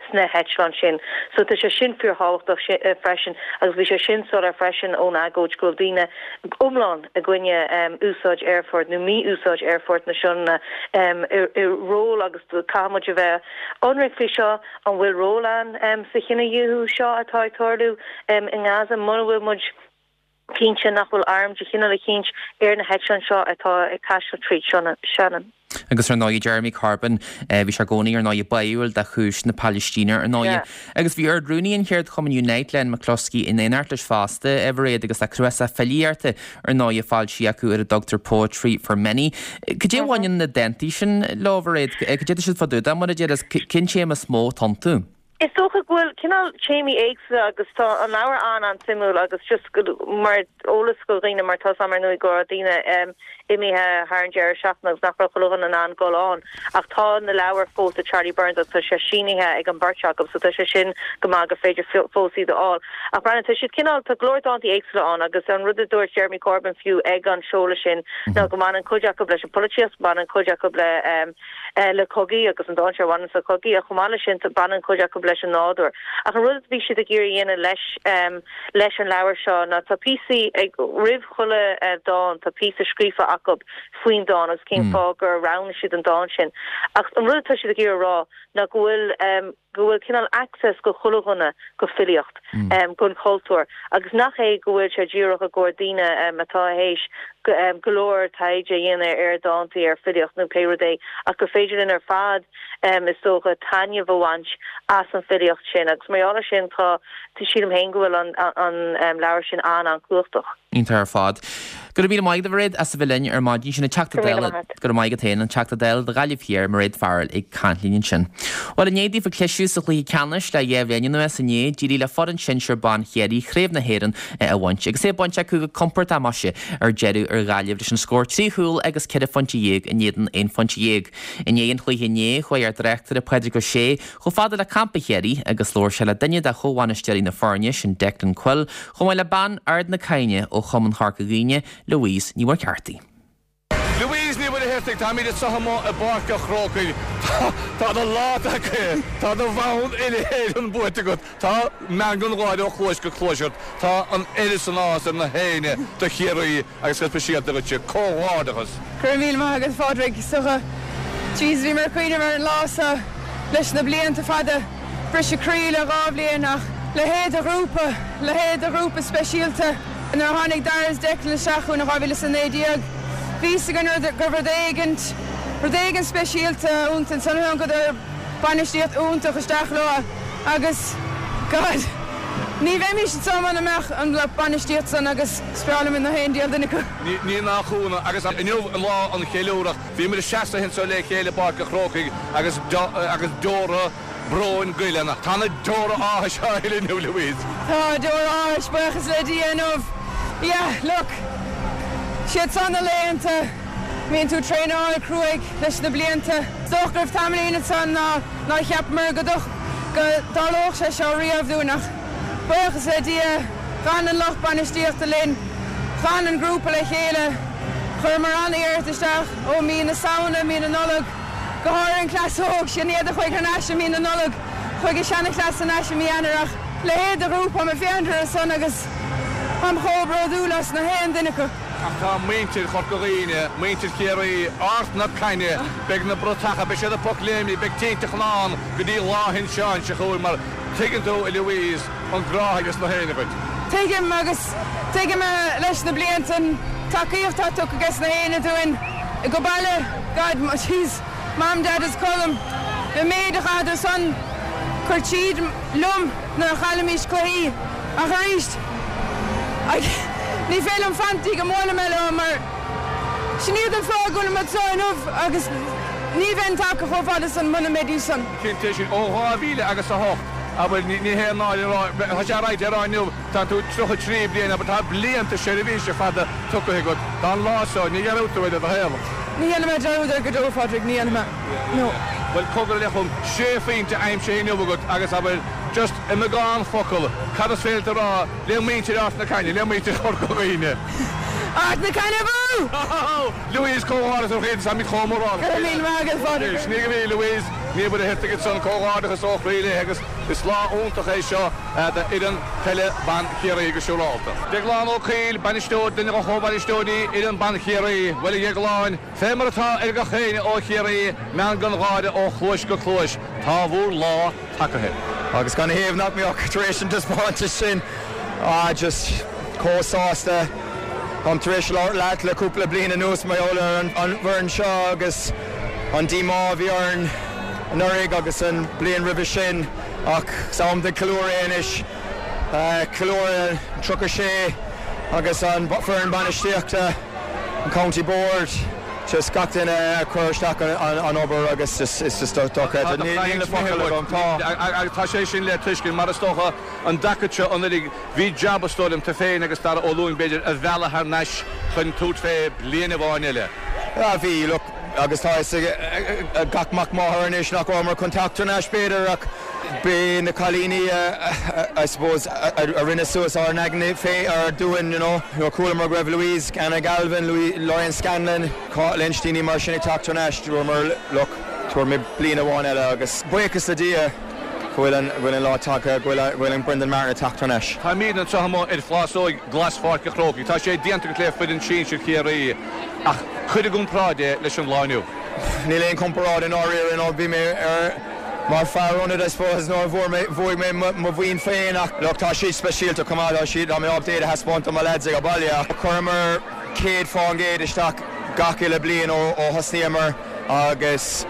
sna heitleáin sin. So tá sé sin fíorthábhachtach freisin agus bhí sé sin soiléir freisin ón agóid go bhfuil daoine iomlán i gcoinne úsáid aerfort nó mí-úsáid aerfort na Sionainne i ról agus caithfidh muid a bheith ionraic faoi seo, an bhfuil ról ann sa chinedhíothú seo atá ag tarlú i nGaza muna bhfuil muid cinnte nach bhfuil arm de chineál eicínt ar na heitleáin seo atá ag taisteal tríd Sionainn. Agus ar ndóigh Jeremy Corbyn, bhí sé i gcónaí ar ndóigh báúil do chúis na Palaistíne ar ndóigh. Agus bhí Ard-Rúnaí an cheardchumainn Unite, Len McCluskey, in éineacht leis fosta, a Mhairéad, agus tá cnuasach filíochta ar ndóigh foilsithe acu ar a dtugtar Poetry for Many. Cad é a bhaineann na dántaí sin leo, a Mhairéad? Cad é atá siad fá dtaobh de, mar a deir, is cén téama is mó atá iontu? Is dócha go bhfuil cineál téamaí éagsúla agus tá an leabhar an-an-suimiúil agus just mar eolas do dhaoine mar tá's a'm ar ndóigh go raibh daoine imithe thar an deireadh seachtaine agus nach raibh chuile dhuine in ann dul ann ach tá na leabhair fós i Charlie Byrne's agus tá sé sínithe ag an beirt acu so tá sé sin go maith gur féidir fós iad a fháil. Ach breathnaigh tá siad cineál, tá go leor dántaí éagsúla ann agus an rud a dúirt Jeremy Corbyn fiú ag an seoladh sin ná go mbaineann cuid acu leis an pholaitíocht, baineann cuid acu le le cogaí agus an dán seo a bhaineann le cogaí ach chomh maith leis sin baineann cuid acu leis an nádúr. Ach an rud a bhí siad ag iarraidh a dhéanamh leis leis an leabhar seo ná tá píosaí ag roimh chuile dán tá píosa scríofa acu faoin dán agus cén fáth gur roghnaigh siad an dán sin. Ach an rud atá siad ag iarraidh a rá ná go bhfuil go bhfuil cineál access go chuile dhuine go filíocht, gon chultúr agus nach é go bhfuil sé díreach i gcomhair daoine atá théis go leor taighde a dhéanamh ar dhántaí, ar filíocht nó pé rud é ach gur féidir féidir linn ar fad um, is dócha taitneamh a bhaint as an filíocht sin agus mar gheall sin tá sílim féin go bhfuil an, an, an um, leabhar sin an-an-chumhachtach. Iontach ar fad. Go raibh míle maith agat a Mhairéad as a bheith linn ar maidin sin an Teachta Dála go raibh maith agat féin an Teachta Dála do Ghaillimh Thiar Mairéad Farrell ag caint linn ansin. Well inné daofa cliseadh sa chluiche ceannais le dhá bhliain anuas inné d'éirigh le foireann sinsir ban Chiarraí Craobh na hÉireann a bhaint agus é bainte acu go compordach maise ar deireadh ar Ghaillimh leis an scór trí chúl agus ceithre phointe dhéag in éadan aon phointe dhéag. I ndiaidh an chluiche inné chuaigh ár dtráchtaire Pádraig Ó Sé chomh fada le campa Chiarraí agus labhair sé le duine de chomhbhainisteoirí na foirne sin Declan Quill chomh maith le bean Ard na Caithne ó Chumann Chorca Dhuibhne Louise Ní Mhuircheartaigh. Louise Ní Mhuircheartaigh táimid anseo amuigh i bPáirc an Chrócaigh Tá do lá tagtha Tá do bhonn uile-Éireann buaite agat Tá meangadh gáire ó chluais go cluais ort Tá an oiread san áthas ar na héinne do Chiarraí agus go speisialta duitse comhghairdeachas. Go raibh míle maith agat Phádraig socha Jeez bhí mar chuoine mar an lá seo leis na blianta fada briseadh croí le dhá bhliain ach leithéid de ghrúpa leithéid de ghrúpa speisialta nuair a tháinig Dara is Declan isteach chugainn in dhá mhíle is a naoi déag. Bhí a fhios againn go raibh rud éigint rud éigin speisialta iontu ansan thógadar bainistíocht iontach isteach leo agus God ní bheimis anseo muna mbeadh an lucht bainistíocht san agus is breá liom na haon diabhal duine acu. Ní nach ionadh agus inniu an lá an cheiliúradh bhí muid ag seasamh anseo le chéile i bPáirc an Chrócaigh agus agus deora bróin goile ann. Tá na deora áthais á shil inniu Louise. Tá deora áthais buíochas le Dia inniu. Yeah, look. Siad san na laethanta mbíonn tú traenáil cruaidh leis na blianta. Is dócha go raibh tamaillín ansan ná nár cheapamar go go dtarlódh sé seo riamh dúinn ach buíochas le Dia d'fhan an lucht bainistíochta linn, d'fhan an grúpa le chéile, chuireamar an-iarracht isteach ó mí na Samhna, mí na Nollag, go háirithe an cleas óg, sin iad a chuaigh thar n-ais i mí na Nollag, chuaigh an seanchleas thar n-ais i mí Eanáir ach leithéid de ghrúpa, táim ag féachaint orthu san agus táim chomh bródúil as na haon duine acu. Ach tá muintir Chorca Dhuibhne, muintir Chiarraí, Ard na Caithne, beidh na bratacha, beidh siad ag pocléimní, beidh tintreach ann go dtí lá Shin Seáin seo chugainn mar tuigeann tú, a Louise, an grá ages na héinne dhuit. Tuigim agus tuigim leis na blianta an tacaíocht atá tugtha ages na héinne dúinn go baile, God, jeez, Mam, Dad is Colm, an méid a chaitheadar san cur tríd liom nuair a chaillimis cluichí ach arís, ní féidir liom fanacht go dtí go mbuailfidh mé leo mar sin iad an fáth go bhfuilim anseo inniu agus ní bheinn tagtha chomh fada san muna mbeidís san. Cinnte sin, ó dhá mhíle agus a hocht, abair, ní haon náire a rá, tá sé ráite a rá inniu, tá tú tríocha trí bliana, abair, tá blianta seirbhíse fada tugtha agat, tá an lá seo, ní dhearúdfaidh tú é i do shaol. Ní dhéanfaidh mé dearúd air go deo, a Phádraig, ní dhéanfaidh mé. No. Bhuel, cogar le chum sé phointe aimsithe inniu agat agus, abair, just i mbeagán focal, cad is féidir leat a rá le muintir Ard na Caithne, le muintir Chorca Dhuibhne? Ard na Caithne abú! Louise, comhghairdeas ó chroí, táimid chomh mórálach. Go raibh míle maith agat, Phádraig. Sin í go bhí Louise Ní Mhuircheartaigh ansan, comhghairdeachas ó chroí léi agus is lá iontach é seo d'fhoireann peile ban Chiarraí go siúrálta. Déaglán Ó Cuill, bainisteoir, duine de chomhbhainisteoirí fhoireann ban Chiarraí, Bhuel a Dhéagláin, fé mar atá ar gach éinne ó Chiarraí, meangadh gáire ó chluais go cluais, tá bhur lá tagaithe. Agus canathaobh nach mbeadh tar éis an taispeántas sin? Ah just chomh sásta. Táim tar éis labhairt leat le cúpla bliain anuas mar gheall ar an bhfoireann seo agus an díomá a bhí orainn anuraidh agus an bliain roimhe sin ach is am do ceiliúradh é anois. Ceiliúradh an tríocha sé agus an foireann bainistíochta, an County Board, just gach duine a chuir isteach an obair agus just it's just dochreidte. Níl na focail agam. Tá. Agus tá sé sin le tuiscint mar is dócha an dtaca seo anuraidh bhí jab is dóigh liom tú féin agus Dara Ó Lúing b'fhéidir a mhealladh thar n-ais chun tabhairt fé bliain amháin eile. Ah bhí, look, agus tá fhios ag gach mac máthar anois nach rabhamar chun teacht thar n-ais b'fhéidir ach b'é na cailíní I suppose a rinne suas ár n-aigne fé ar dúinn you know. Nuair a chualamar go raibh Louise, Anna Galvin, Lorraine Scanlon, Cáit Lynch, daoine mar sin ag teacht thar n-ais, dúramar look, tabhair muid bliain amháin eile agus buíochas le Dia go bhfuil an go bhfuil an lá tagtha, go bhfuil go bhfuil an Brendan Martin ag teacht thar n-ais. Táimid anseo amuigh ar phlásóig glas Pháirc an Chrócaigh. Tá sé déanta agat le foireann sinsir Chiarraí ach cuir i gcomparáid é leis an lá inniu. Níl aon comparáid i ndáiríre, you know, bhí mé ar mar fear ionaid I suppose nuair a bhfuair mé bhuaigh mé mo bhonn féin ach look tá siad speisialta chomh maith, tá siad tá mé ábalta iad a thaispeáint do mo lads ag an baile ach chuireamar céad faoin gcéad isteach gach uile bliain ó ó thosnaíomar agus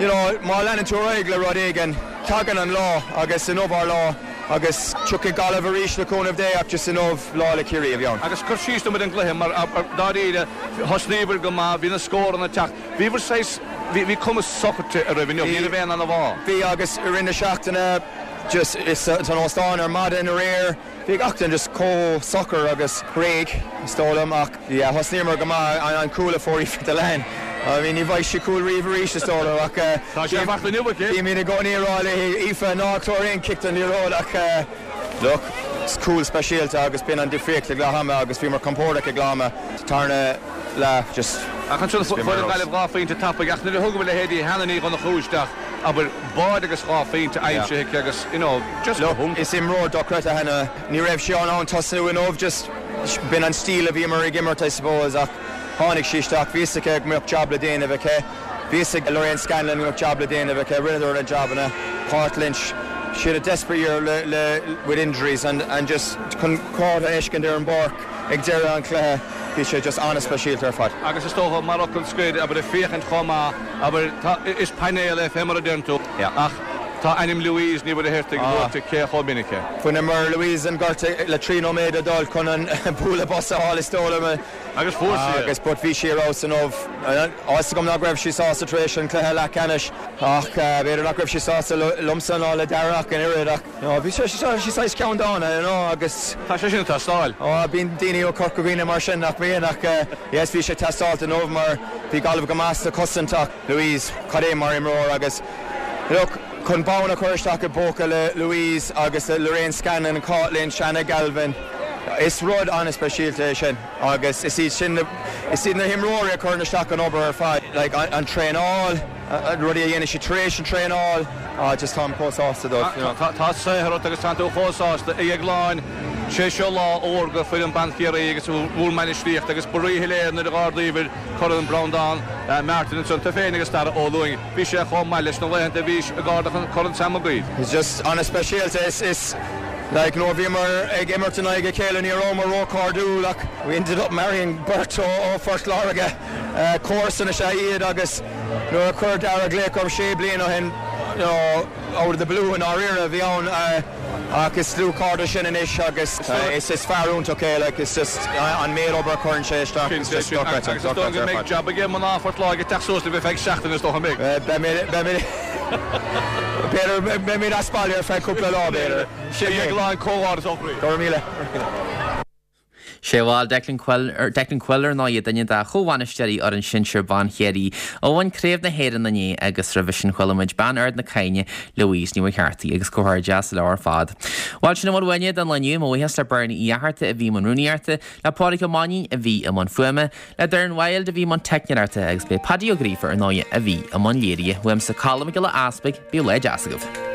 you know, má leanann tú ar aghaidh le rud éigin, tagann an lá agus inniu ár lá agus tiocfaidh Gaillimh arís le cúnamh Dé ach just inniu lá le Ciarraí a bhí ann. Agus cur síos dom ar an gcluiche mar dáiríre thosnaíobhair go maith, bhí na scóranna ag teacht, bhíobhair saghas, bhí bhí cuma socraithe oraibh inniu, ní raibh aon anbhá. Bhí agus i rith na seachtaine just san óstán ar maidin aréir, bhí gach duine just chomh socair agus réidh is dóigh liom ach yeah thosnaíomar go maith, an cúl a fuair Aoife Dillane, I mean ní bhfaighidh sí cúl riamh arís is dóigh liom ach Tá sé faighte inniu aici. Bímid i gcónaí ag rá léi Aoife ná tabhair aon cic don liathróid ach look is cúl speisialta agus b'in an difríocht ag leath ama agus bhíomar compordach ag leath ama sa tarna leath just Ach ansin fuair an Ghaillimh dhá phointe tapaidh ach nuair a thugamar leithéidí Hannah Ní Dhonnchú isteach abair báide agus dhá phointe aimsithe aici agus you know just go Look hiontach. is imreoir dochreidte Hannah ní raibh sí in ann tosnú inniu just b'in an stíl a bhíomar ag imirt I suppose ach Tháinig sí isteach, bhí fhios aici go mbeadh jab le déanamh aici, bhí fhios ag Lorraine Scanlon go mbeadh jab le déanamh aici, rinneadar na jabanna. Cáit Lynch, she had a desperate year le, le, with injuries and, and just chun Cáit a fheiscint ar an bpáirc ag deireadh an chluiche, bhí sé just an-speisialta ar fad. Agus is dócha, mar fhocal scoir, abair, ag féachaint chomh maith, abair, tá, is painéal é fé mar a deireann tú, ach tá ainm Louise Ní Mhuircheartaigh luaite cé chomh minic é. Bhaineamar Louise an gortú le trí nóiméad le dul chun an bualadh bos a fháil is dóigh liom. Agus fuair sí é. Agus but bhí sí ar fheabhas inniu. Tá fhios agam nach raibh sí sásta tar éis an cluiche leathcheannais ach b'fhéidir nach raibh sí sásta liomsa ná le Darragh ach an oiread ach you know bhí sí sí saghas ceanndána you know agus Tá sé sin ag teastáil. Ó bíonn daoine ó Chorca Dhuibhne mar sin nach mbíonn ach yes bhí sé ag teastáilt inniu mar bhí Gaillimh go maith sa chosaint ach Louise cad é mar imreoir agus look chun bonn a chur isteach i bpóca le Louise agus le Lorraine Scanlon, Cáit Lynch, Anna Galvin. Is rud an-speisialta é sin agus is iad sin na, is iad na himreoirí a chuireann isteach an obair ar fad, like an traenáil, rudaí a dhéanann siad tar éis an traenáil, ah just táim chomh sásta dóibh, you know. Tá saothar ort agus tá tú chomh sásta, a Dhéagláin. Sé seo lá órga foireann ban Chiarraí agus bhur mbainistíocht agus ba ríshoiléir nuair a dh'ardaíobhair Corn Breandán Martin ansan, tú féin agus Darragh Ó Lúing. Bhí sé chomh maith leis na laethanta a bhís ag ardach an Corn Sam Mag Uidhir. It's just an-speisialta, is, is. Like nuair a bhíomar ag imirt in aghaidh a chéile ní rabhamar róchairdiúil ach we ended up marrying beirt ó Phort Láirge. Comharsana is ea iad agus nuair a chuir Darragh glaoch orm sé bliana ó shin, you know, out of the blue i ndáiríre a bhí ann ach is dlúthchairde sinn anois agus is is fear iontach é like it's just an méid obair a chuireann sé isteach it's just dochreidte, Agus is dóigh go dochreidte ar mbeidh fad. jab aige mná Phort Láirge teacht suas libh ar feadh seachtaine is dócha an mbeidh? Beidh mé, beidh mé, b'fhéidir, beidh mé as baile ar feadh cúpla lá b'fhéidir. A Dhéagláin comhghairdeas ó chroí. Go raibh míle. Míle. Sé bhuel Declan Coyle, Declan Coyle ar ndóigh duine de chomhbhainisteoirí fhoireann sinsir ban Chiarraí a bhain Craobh na hÉireann inné agus roimhe sin chuala muid bean Ard na Caithne, Louise Ní Mhuircheartaigh agus comhghairdeas leo ar fad. Bhuel sin a bhfuil uainne don lá inniu, mo bhuíochas le Bernie Uí Fhatharta a bhí i mbun rúnaíochta, le Pádraig Ó Mainnín a bhí i mbun fuaime, le Darren Wilde a bhí i mbun teicneoireachta agus b'é Paddy Ó Gríofa ar ndóigh a bhí i mbun léirithe. Uaimse Colm Mac Giolla Easpaig, bíodh lá deas agaibh.